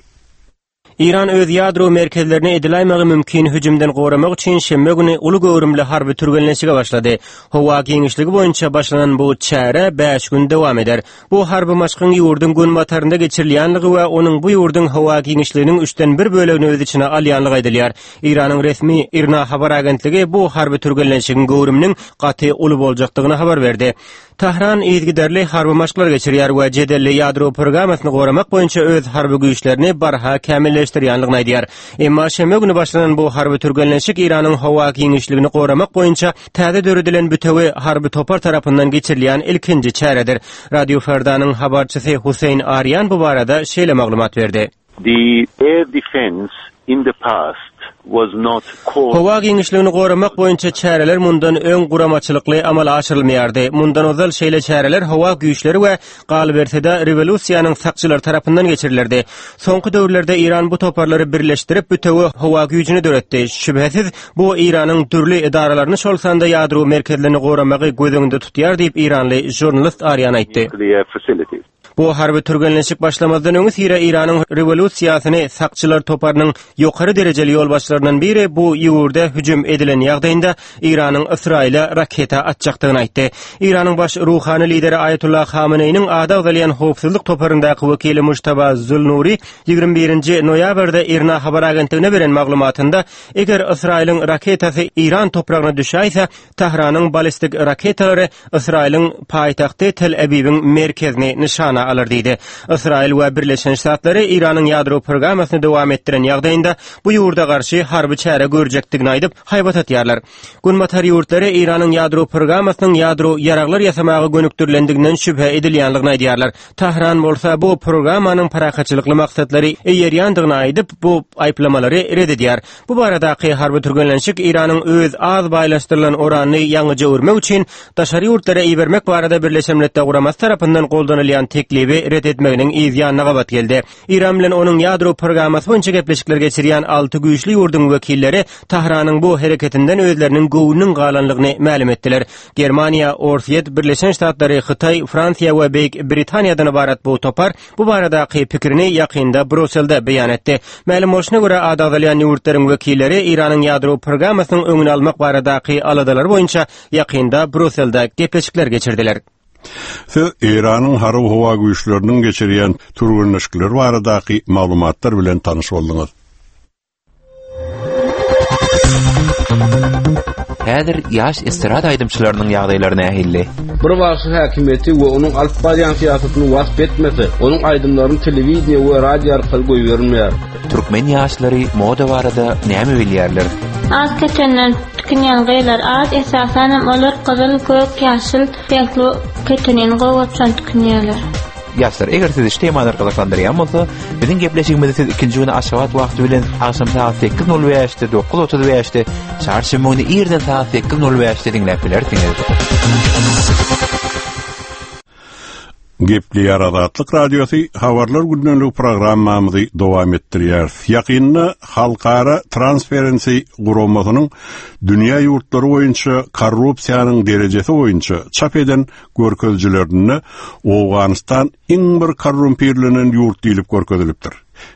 Eýran öz ýadro merkezlerini ediläýmegi mümkin hüjümden goramak üçin şenbe güni uly göwrümli harby türgenleşige başlady. Howa giňişligi boýunça başlanan bu çäre bäş gün dowam eder. Bu harby maşkyň ýurduň günbatarynda geçirilýänligi we onuň bu ýurduň howa giňişliginiň üçden bir bölegini öz içine alýanlygy aýdylýar. Eýranyň resmi IRNA habar agentligi bu harby türgenleşigiň göwrüminiň gaty uly boljakdygyny habar berdi. Tahran yzygiderli harby maşklar geçirýär we jedelli ýadro programmasyny goramak boýunça öz harby güýçlerini barha kämilleşdirýänligini aýdýar. Emma şenbe güni başlanan bu harby türgenleşik Eýranyň howa giňişligini goramak boýunça täze döredilen bütewi harby topar tarapyndan geçirilýän ilkinji çäredir. Radio Ferdanyň habarçysy Hüseýin Arýan bu barada şeýle maglumat berdi. The air defense in the past was not called. Howa giňişligini goramak boýunça çäreler mundan öň guramaçylykly amala aşyrylmaýardy. Mundan ozal şeýle çäreler howa güýçleri we galyberse-de rewolýusiýanyň sakçylary tarapyndan geçirilerdi. Soňky döwürlerde Eýran bu toparlary birleşdirip bütewi howa güýjüni döretdi. Şübhesiz bu Eýranyň dürli edaralaryny şol sanda ýadro merkezlerini goramagy göz öňünde tutýar diýip Eýranly žurnalist Arýan aýtdy. Nuclear facilities. Bu harby türgenleşik başlamazdan öňi syra Eýranyň rewolýusiýasyny sakçylar toparynyň ýokary derejeli ýolbaşçylaryndan biri bu ýurda hüjüm edilen ýagdaýynda Eýranyň Ysraýyla raketa atjakdygyny aýtdy. Eýranyň baş ruhany lideri Aýatullah Hameneýiniň ady agzalýan howpsuzlyk toparyndaky wekili Mujtaba Zulnuri ýigrimi birinji noýabrda IRNA habar agentligine beren maglumatynda eger Ysraýylyň raketasy Eýran topragyna düşäýse, Tahranyň balistik raketalary Ysraýylyň paýtagty Tel Awiwiň merkezini nyşana alar diýdi. Ysraýyl we Birleşen Ştatlary Eýranyň ýadro programmasyny dowam etdiren ýagdaýynda bu ýurda garşy harby çäre görjekdigini aýdyp haýbat atýarlar. Günbatar ýurtlary Eýranyň ýadro programmasynyň ýadro ýaraglar ýasamaga gönükdirilendiginden şübhe edilýänligini aýdýarlar. Tahran bolsa bu programmanyň parahatçylykly maksatlary eýerýändigini aýdyp, bu aýyplamalary red edýär. Bu baradaky harby türgenleşik Eýranyň öz az baýlaşdyrylan oranyny ýaňyja öwürmek üçin daşary ýurtlara ibermek barada Birleşen Milletler Guramasy tarapyndan goldanylýan teklibi red etmeginiň yz ýanyna gabat geldi. Eýran bilen onuň ýadro programmasy boýunça gepleşikler geçirýän alty güýçli ýurduň wekilleri Tahranyň bu hereketinden özleriniň göwnüniň galanlygyny mälim etdiler. Germaniýa, Orsýet, Birleşen Ştatlary, Hytaý, Fransiýa we Beýik Britaniýadan ybarat bu topar bu baradaky pikirini ýakynda Bruselde beýan etdi. Mälim bolşuna görä ady agzalýan ýurtlaryň wekilleri Eýranyň ýadro programmasynyň öňüni almak baradaky aladalar boýunça ýakynda Bruselde gepleşikler geçirdiler. Siz Eýranyň harby howa güýçleriniň geçirýän türgenleşikleri baradaky maglumatlar bilen tanyş bolduňyz. Häzir ýaş estrada aýdymçylarynyň ýagdaýlary nähili? Bir bagşy häkimiýeti we onuň alyp barýan syýasatyny wasp etmese, onuň aýdymlaryny telewideniýe we radio arkaly goýberilmeýär. Türkmen ýaşlary moda barada näme bilýärler? Az ketenden tikinýän gyzlar az, esasanam olar gyzyl, gök, ýaşyl reňkli ketenini gowaçan tikinýärler. Ýaşlar, eger sizi şu temalar gyzyklandyrýan bolsa, biziň gepleşigimizi siz ikinji güni Aşgabat wagty bilen agşam sagat sekiz nol bäşde, dokuz otuz bäşde, çarşenbe güni irden sagat sekiz nol bäşde diňläp bilersiňiz. Gepleýär Azatlyk Radiosy habarlar gündelik programmamyzy dowam etdirýär. Ýakynda Halkara Transparency guramasynyň dünýä ýurtlary boýunça korrupsiýanyň derejesi boýunça çap eden görkezijilerinde Owganystan iň bir korrumpirlenen ýurt diýlip görkezilipdir.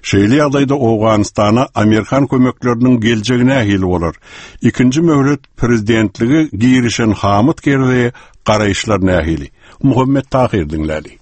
Şeýle ýagdaýda Owganystana Amerikan kömekleriniň geljegi nähili bolar? Ikinji möhlet prezidentligi girişen Hamid Kerzeýe garaýyşlar nähili? Muhammet Tahir diňläli.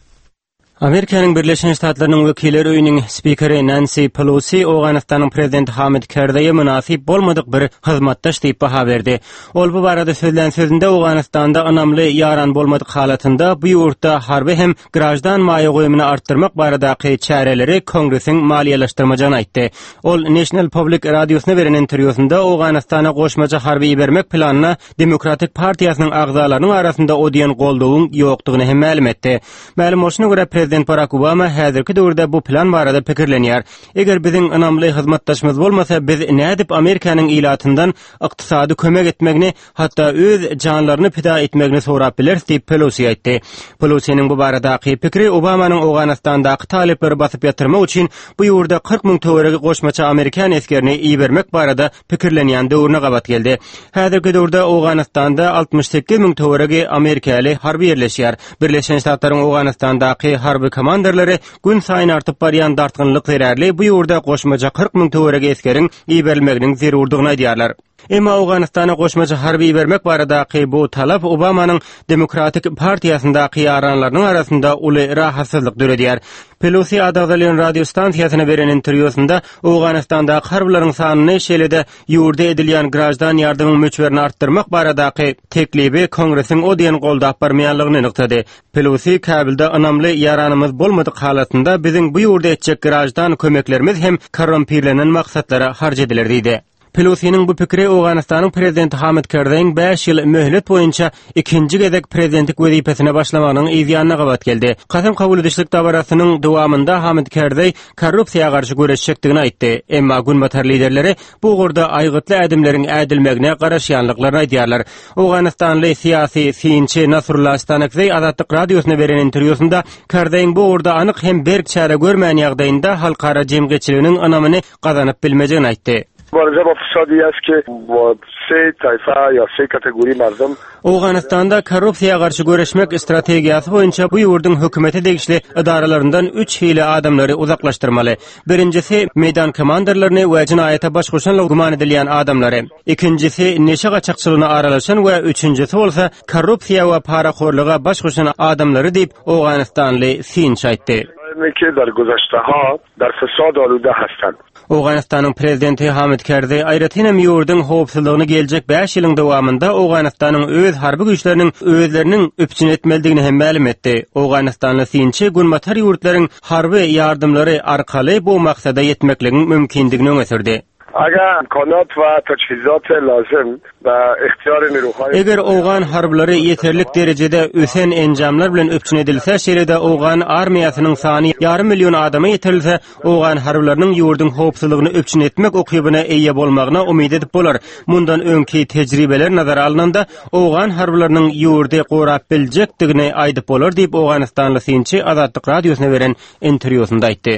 Amerikanyň Birleşen Ştatlarynyň wekiller öýüniň spikeri Nancy Pelosi Owganystanyň prezidenti Hamid Kerzeýe mynasyp bolmadyk bir hyzmatdaş diýip baha berdi. Ol bu barada sözlän sözünde Owganystanda ynamly ýaran bolmadyk halatynda bu ýurtda harby hem grajdan maýa goýumyny artdyrmak baradaky çäreleri Kongresiň maliýeleşdirmejegini aýtdy. Ol National Public Radiosyna beren interwýusynda Owganystana goşmaça harby ibermek planyna Demokratik partiýasynyň agzalarynyň arasynda o diýen goldawyň ýokdugyny hem mälim etdi. Mälim bolşuna görä prezident Barack Obama häzirki döwürde bu plan barada pikirlenýär. Eger biziň ynamly hyzmatdaşymyz bolmasa, biz nädip Amerikanyň ilatyndan ykdysady kömek etmegini, hatda öz janlaryny pida etmegini sorap bileris diýip Pelosi aýtdy. Pelosiniň bu baradaky pikiri Obamanyň Owganystandaky talyplary basyp ýatyrmak üçin bu ýurda kyrk müň töweregi goşmaça Amerikan esgerini ibermek barada pikirlenýän döwrüne gabat geldi. Häzirki döwürde Owganystanda altmyş sekiz müň töweregi Amerikaly harby ýerleşýär. Birleşen Ştatlaryň Owganystandaky harby komanderleri gün saýyn artyp barýan dartgynlyk zerarly bu ýurda goşmaça kyrk müň töweregi esgeriň iberilmeginiň zerurdygyny aýdýarlar. Emma Owganystana goşmaça harby ibermek baradaky bu talap Obamanyň Demokratik partiýasyndaky ýaranlarynyň arasynda uly rahatsyzlyk döredýär. Pelosi adagzalýan radio stansiýasyna beren interwýusynda Owganystandaky harbylaryň sanyny şeýle-de ýurda edilýän grajdan ýardamyň möçberini artdyrmak baradaky teklibi Kongresiň o diýen goldap barmaýanlygyny nygtady. Pelosi Kabilde ynamly ýaranymyz bolmadyk halatynda biziň bu ýurda etjek grajdan kömeklerimiz hem korrumpirlenen maksatlara harç ediler diýdi. Pelosiniň bu pikiri Owganystanyň prezidenti Hamid Kerzeýiň bäş ýyl möhlet boýunça ikinji gezek prezidentlik wezipesine başlamagynyň yz ýanyna gabat geldi. Kasam kabul edişlik dabarasynyň dowamynda Hamid Kerzeý korrupsiýa garşy göreşjekdigini aýtdy. Emma Günbatar liderleri bu ugurda aýgytly ädimleriň ädilmegine garaşýanlyklaryny aýdýarlar. Owganystanly syýasy synçy Nasrullah Stanakzeý Azatlyk radiosyna beren interwýusynda Kerzeýiň bu ugurda anyk hem berk çäre görmän ýagdaýynda halkara jemgyýetçiliginiň ynamyny gazanyp bilmejegini aýtdy. مبارزه با فسادی است که با سه طایفه یا سه kategori مردم Owganystanda korrupsiýa garşy göreşmek strategiýasy boýunça bu ýurduň hökümete degişli edaralaryndan üç hili adamlary uzaklaşdyrmaly. Birincisi meýdan komanderlerini we jinaýata baş goşanlygy güman edilýän adamlary. Ikincisi neşe gaçakçylygyna aralaşan we üçüncüsi bolsa korrupsiýa we parahorlyga baş goşan adamlary diýip Owganystanly synçy aýtdy. که در گذشته ها در فساد آلوده هستند. Owganystanyň prezidenti Hamid Kerzeý aýratyn hem ýurduň howpsuzlygyny geljek bäş ýylyň dowamynda Owganystanyň öz harby güýçleriniň özleriniň üpjün etmelidigini hem mälim etdi. Owganystanly synçy Günbatar ýurtlaryň harby ýardymlary arkaly bu maksada ýetmekligiň mümkindigini öňe sürdi. اگر امکانات و تجهیزات لازم و اختیار نیروهای Eger Owgan harblary ýeterlik derejede ösen enjamlar bilen üpjün edilse, şeýle-de Owgan armiýasynyň sany ýarym million adama ýetirilse, Owgan harblarynyň ýurduň howpsuzlygyny üpjün etmek ukybyna eýe bolmagyna umyt edip bolar. Mundan öňki tejribeler nazara alnanda Owgan harblarynyň ýurdy gorap biljekdigini aýdyp bolar diýip Owganystanly synçy Azatlyk radiosyna beren interwýusynda aýtdy.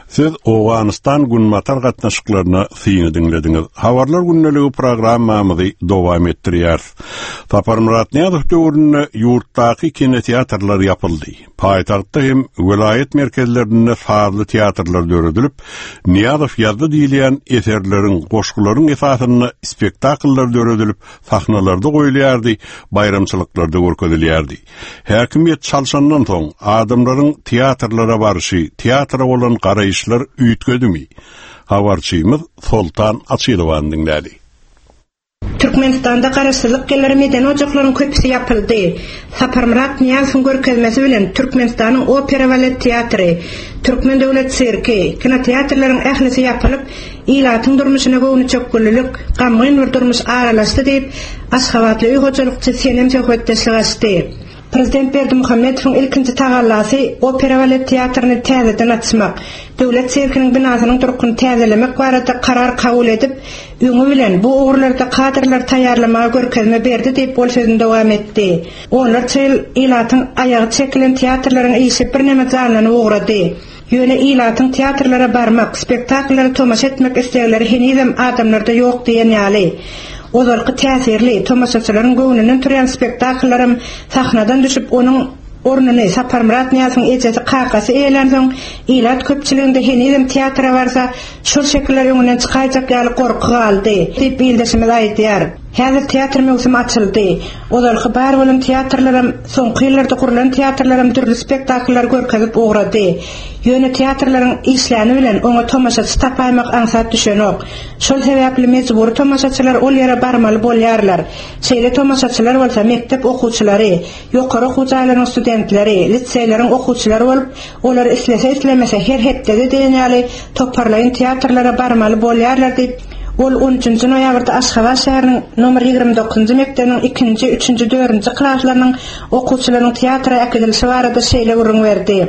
Siz Owganystan Günbatar gatnaşyklaryna syny diňlediňiz. Habarlar gündeligi programmamyzy dowam etdirýär. Saparmyrat Nyýazow döwründe ýurtdaky kinoteatrlar ýapyldy. Paýtagtda hem welaýat merkezlerinde sazly teatrlar döredilip, Nyýazow ýazdy diýilýän eserleriň, goşgularyň esasynda spektakllar döredilip, sahnalarda goýulýardy, baýramçylyklarda görkezilýärdi. Häkimiýet çalşandan soň adamlaryň teatrlara barşy, teatra bolan garaýyşlar üýtgedimi? Habarçymyz Soltan Açylowan diňläli. Türkmenistanda garaşsyzlyk ýyllary medeni ojaklaryň köpüsi ýapyldy. Saparmyrat Nyýazowyň görkezmesi bilen Türkmenistanyň opera balet teatry, Türkmen döwlet sirki, kinoteatrlaryň ählisi ýapylyp, ilatyň durmuşyna göwnüçökgünlük, gamgyn bir durmuş aralaşdy diýip, Aşgabatly öý hojalykçy Senem söhbetdeşlik açdy. Prezident Berdimuhamedowyň ilkinji tagallasy opera balet teatryny täzeden açmak, döwlet sirkiniň binasynyň durkuny täzelemek barada karar kabul edip, öňi bilen bu ugurlarda kadrlar taýýarlamaga görkezme berdi diýip ol sözüni dowam etdi. Onlarça ýyl ilatyň aýagy çekilen teatrlaryň işi birneme janlanyp ugrady. Ýöne ilatyň teatrlara barmak, spektakllara tomaşa etmek islegleri henizem adamlarda ýok diýen ýaly. Ozalky täsirli tomaşaçylaryň göwnünden turýan spektakllaram sahnadan düşüp onuň ornuny Saparmyrat Nyýazowyň ejesi kakasy eýelänsoň ilat köpçüliginde henizem teatra barsa şol şekiller öňünden çykaýjak ýaly gorky galdy diýip ildeşimiz aýdýar. Häzir teatr möwsümi açyldy. Ozalky bar bolan teatrlaram soňky ýyllarda gurlan teatrlaram dürli spektakllar görkezip ugrady. Ýöne teatrlaryň işläni bilen oňa tomaşaçy tapaýmak aňsat düşenok. Şol sebäpli mejbury tomaşaçylar ol ýere barmaly bolýarlar. Şeýle tomaşaçylar bolsa mekdep okuwçylary, ýokary okuw jaýlarynyň studentleri, liseýleriň okuwçylary bolup, olar islese islemese her hepdede diýen ýaly toparlaýyn teatrlara barmaly bolýarlar diýip, ol on üçünji noýabrda Aşgabat şäheriniň nomer ýigrimi dokuzynjy mekdebiniň ikinji, üçünji, dördünji klaslarynyň okuwçylarynyň teatra äkidilişi barada şeýle gürrüň berdi.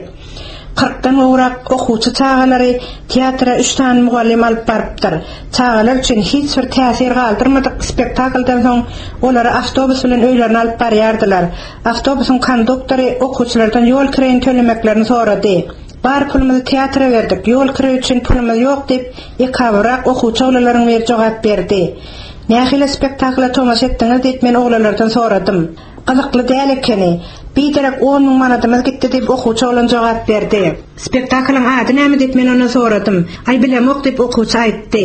Kyrkdan gowrak okuwçy çagalary teatra üç sany mugallym alyp barypdyr. Çagalar üçin hiç bir täsir galdyrmadyk spektakldan soň olary awtobus bilen öýlerine alyp barýardylar. Awtobusyň konduktory okuwçylardan ýol kireýini tölemeklerini sorady. Bar pulumyzy teatra berdik, ýol kireýi üçin pulumyz ýok diýip, ekabyrak okuwçy oglanlaryň biri jogap berdi. Nähili spektakla tomaşa etdiňiz diýip men oglanlardan soradym. Gyzykly däl ekeni. Biderek on müň manadymyz gitdi diýip okuwçy oglan jogap berdi. Spektaklyň ady näme diýip men ondan soradym. Aý bilemok diýip okuwçy aýtdy.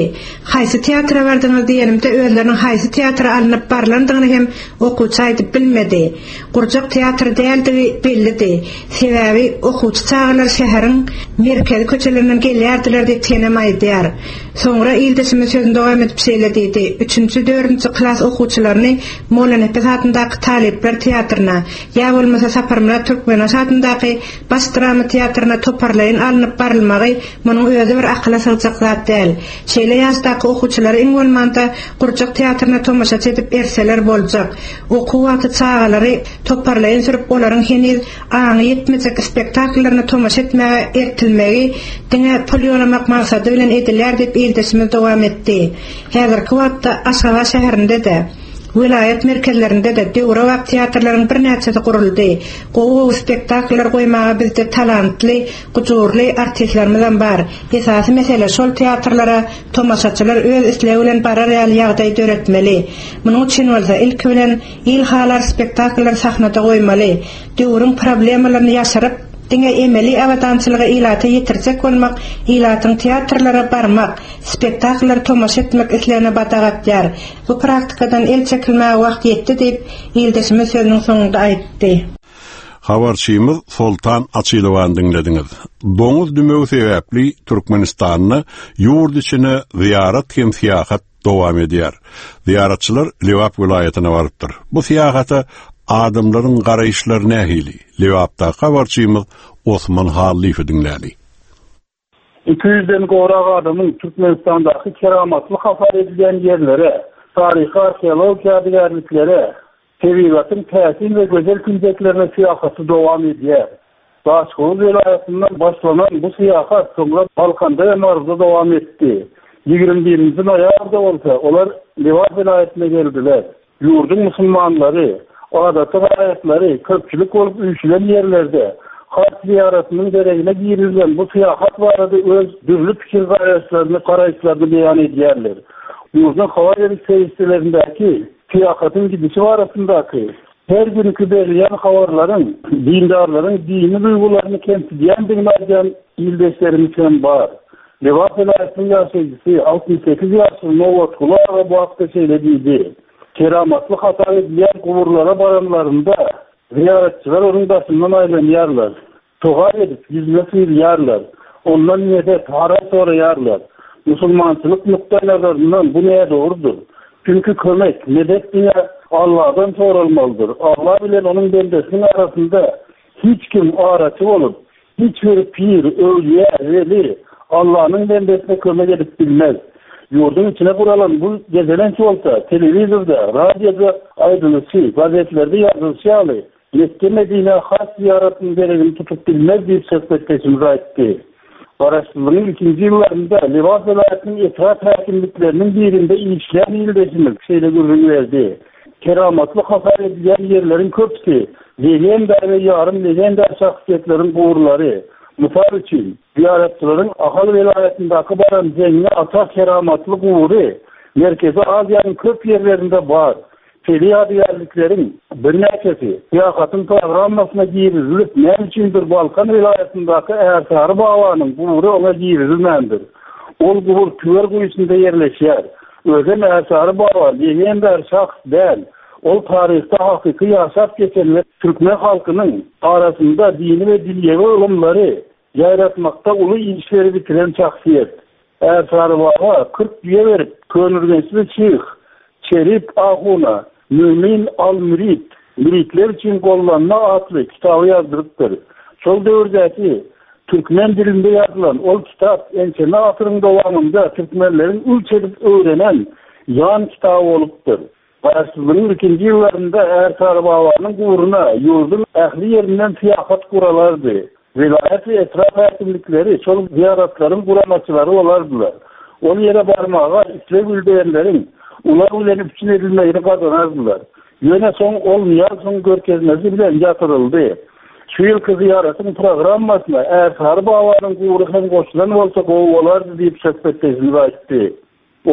Haýsy teatra bardyňyz diýenimde özleriniň haýsy teatra alnyp barlandygyny hem okuwçy aýdyp bilmedi. Gurjak teatr däldigi bellidi. Sebäbi okuwçy çagalar şäheriň merkezi köçelerinden gelýärdiler diýip Senem aýdýar. Soňra ildeşimiz sözüni dowam edip şeýle diýdi. Üçünji, dördünji klas okuwçylaryny Mollanepes adyndaky talyplar teatryna, ýa bolmasa Saparmyrat Türkmenbaşy adyndaky baş drama teatryna toparlaýyn alnyp barylmagy munuň özi bir akyla sygjak zat däl. Şeýle ýaşdaky okuwçylary iň bolmanda gurjak teatryna tomaşaçy edip erseler boljak. Okuw wagty çagalary toparlaýyn sürüp olaryň heniz aňy ýetmejek spektakllaryna tomaşa etmäge ertilmegi diňe pul ýolamak maksady bilen edilýär diýip ildeşimiz dowam etdi. Häzirki wagtda Aşgabat şäherinde-de, welaýat merkezlerinde-de döwrebap teatrlaryň birnäçesi guruldy. Gowy-gowy spektakllar goýmaga bizde talantly, gujurly artistlerimiz bar. Esasy mesele şol teatrlara tomaşaçylar öz islegi bilen barar ýaly ýagdaý döretmeli. Munuň üçin bolsa ilki bilen il halar spektakllar sahnada goýmaly. Döwrüň problemalaryny ýaşyryp, diňe emeli abadançylyga ilata ýetirjek bolmak, ilatyň teatrlara barmak, spektakllar tomaşa etmek islegine badak atýar. Bu praktikadan el çekilmäge wagt ýetdi diýip, ildeşimiz sözüniň soňunda aýtdy. Habarçymyz Soltan Açylowan diňlediňiz. Doňuz dümewi sebäpli Türkmenistanda ýurt içine ziýarat hem syýahat dowam edýär. Ziýaratçylar Lebap welaýatyna barypdyr. Bu syýahata adamlaryň garaýyşlary nähili? Lebapda habarçymyz Osman Hallyýewi diňläli. Iki ýüzden gowrak adamyň Türkmenistandaky keramatly hasap edilýän ýerlere, taryhy arheologik ýadygärliklere, tebigatyň täsin we gözel künjeklerine syýahaty dowam edýär. Daşoguz welaýatyndan başlanan bu syýahat soňra Balkanda we Maryda dowam etdi. Ýigrimi birinji noýabrda bolsa olar Lebap welaýatyna geldiler. Ýurduň musulmanlary, adaty raýatlary köpçülik bolup üýşülen ýerlerde haç ziýaratynyň deregine girilen bu syýahat barada öz dürli pikir garaýyşlaryny, garaýyşlaryny beýan edýärler. Ýurduň habar beriş serişdelerindäki syýahatyň gidişi barasyndaky her günki berilýän habarlaryň dindarlaryň dini duýgularyny kemsidýändigini aýdýan ildeşlerimiz hem bar. Lebap welaýatynyň ýaşaýjysy altmyş sekiz ýaşly Nobatguly aga bu hakda şeýle diýdi. Keramatly hasap edilýän guburlara baranlarynda ziýaratçylar onuň daşyndan aýlanýarlar. Togap edip ýüzüne sürýärler. Ondan medet, haram soraýarlar. Musulmançylyk nukdaý nazaryndan bu nädogrudyr? Çünki kömek, medet diňe Allah'dan soralmalydyr. Allah bilen onuň bendesiniň arasynda hiç kim araçy bolup, hiç bir pir, öwliýa, weli Allah'ın bendesine kömek edip bilmez. Ýurduň içine guralan bu gezelenç bolsa, telewizorda, radioda aýdylyşy, gazetlerde ýazylyşy ýaly Mekke-Medinä haj zyýaratynyň deregini tutup bilmez diýip söhbetdeşimiz aýtdy. Garaşsyzlygyň ilkinji ýyllarynda Lebap welaýatynyň etrap häkimlikleriniň birinde işlän ildeşimiz şeýle gürrüň berdi, Keramatly hasap edilýän ýerleriň köpüsi legenda we ýarym legenda şahsyýetleriň guburlary. Mysal üçin, zyýaratçylaryň Ahal welaýatyndaky baran Zeňňi ata keramatly gubury Merkezi Aziýanyň köp ýerlerinde bar. Şeýle ýadygärlikleriň birnäçesi syýahatyň programmasyna girizilip, näme üçindir Balkan welaýatyndaky Ärsary babanyň gubury oňa girizilmändir. Ol gubur Tüwer guýusynda ýerleşýär. Özem Ärsary baba legendar şahs däl. Ol taryhda hakyky ýaşap geçen we türkmen halkynyň arasynda dini we dünýewi ylymlary ýaýratmakda uly işleri bitiren şahsyýet. Ärsary baba kyrk düýe berip, köneürgençli şyh Şerip ahuna Mümin al-Mürit, Müritler üçin gollanma atly kitaby ýazdyrypdyr. Şol döwürdäki türkmen dilinde ýazylan ol kitap ençeme asyryň dowamynda türkmenleriň ürç edip öwrenen ýan kitaby bolupdyr. Garaşsyzlygyň ilkinji ýyllarynda Ärsary babanyň guburyna ýurduň ähli ýerinden syýahat guralardy. Welaýat we etrap häkimlikleri şol zyýaratlaryň guramaçylary bolardylar. Ol ýere barmaga isleg bildirenleriň ulag bilen üpjün edilmegini gazanardylar. Ýöne soň ol Nyýazowyň görkezmesi bilen ýatyryldy. Şu ýylky zyýaratyň programmasyna Ärsary babanyň gubury hem goşulan bolsa gowy bolardy diýip söhbetdeşimiz aýtdy.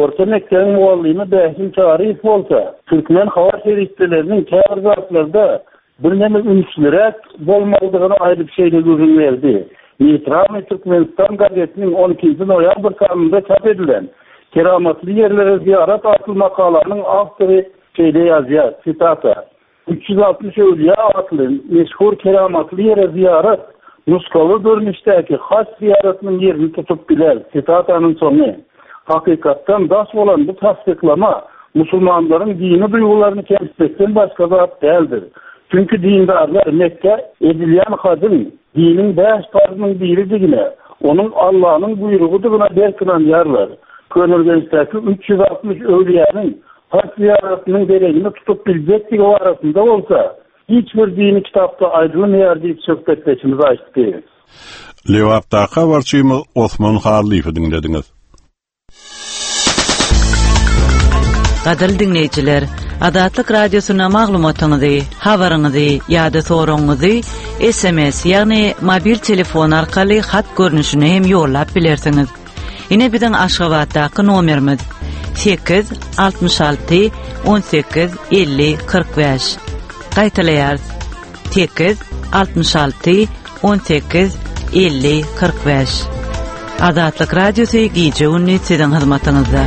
Orta mekdebiň mugallymy Bäşim Çaryýew bolsa, türkmen habar serişdeleriniň käbir zatlarda birneme ünsliräk bolmalydygyny aýdyp şeýle gürrüň berdi, Neýtralnyý Türkmenistan gazetiniň on ikinji noýabr sanynda çap edilen Keramatly ýerlere zyýarat atly makalanyň awtory şeýle ýazýar, sitata, Üç ýüz altmyş öwlüýä atly meşhur keramatly ýere zyýarat nusgawy görnüşdäki haj zyýaratynyň ýerini tutup biler, sitatanyň soňy. Hakykatdan daş bolan bu tassyklama musulmanlaryň dini duýgularyny kemsitmekden başga zat däldir. Çünki dindarlar Mekgä edilýän hajyň diniň bäş parzynyň biridigine, onuň Allanyň buýrugydygyna berk ynanýarlar. Köneürgençdäki üç ýüz altmyş öwlüýäniň haj zyýaratynyň deregini tutup biljekdigi barasynda bolsa, hiç bir dini kitapda aýdylmaýar diýip, söhbetdeşimiz aýtdy. Lebapdaky habarçymyz Osman Hallyýewi diňlediňiz. Gadyrly diňleýjiler, Azatlyk Radiosyna maglumatyňyzy, habaryňyzy ýa-da soragyňyzy S M S, ýagny mobil telefon arkaly hat görnüşinde hem ýollap bilersiňiz. Ine biziň Aşgabatdaky nomerimiz: sekiz altmyş alty on sekiz elli kyrk bäş. Gaýtalaýarys: sekiz altmyş alty on sekiz elli kyrk bäş. Azatlyk Radiosy gije gündüz siziň hyzmatyňyzda.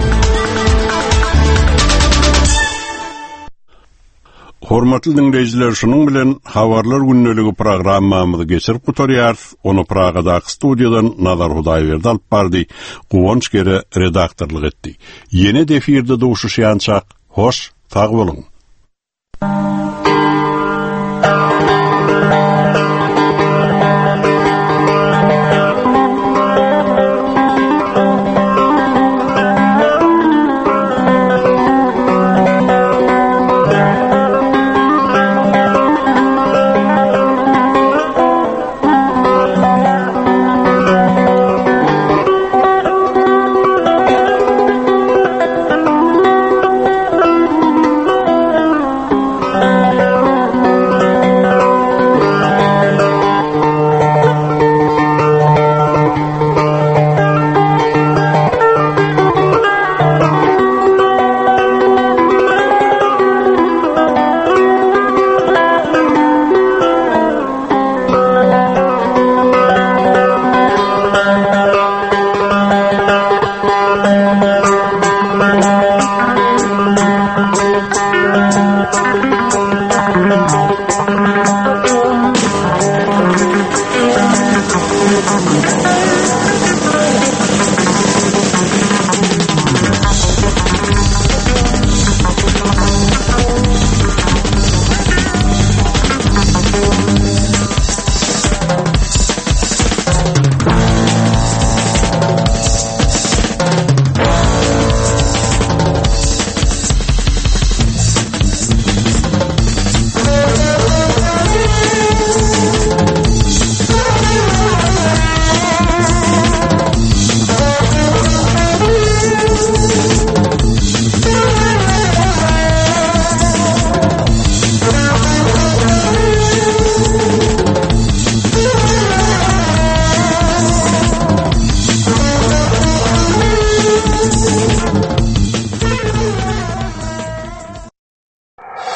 Hormatly diňleýjiler, şunuň bilen habarlar gündeligi programmamyzy geçirip gutarýarys. Ony Pragadaky studiýadan Nazar Hudaýberdi alyp bardy. Guwanç Gere redaktorlyk etdi. Ýene-de efirde duşuşýançak, hoş, sag boluň.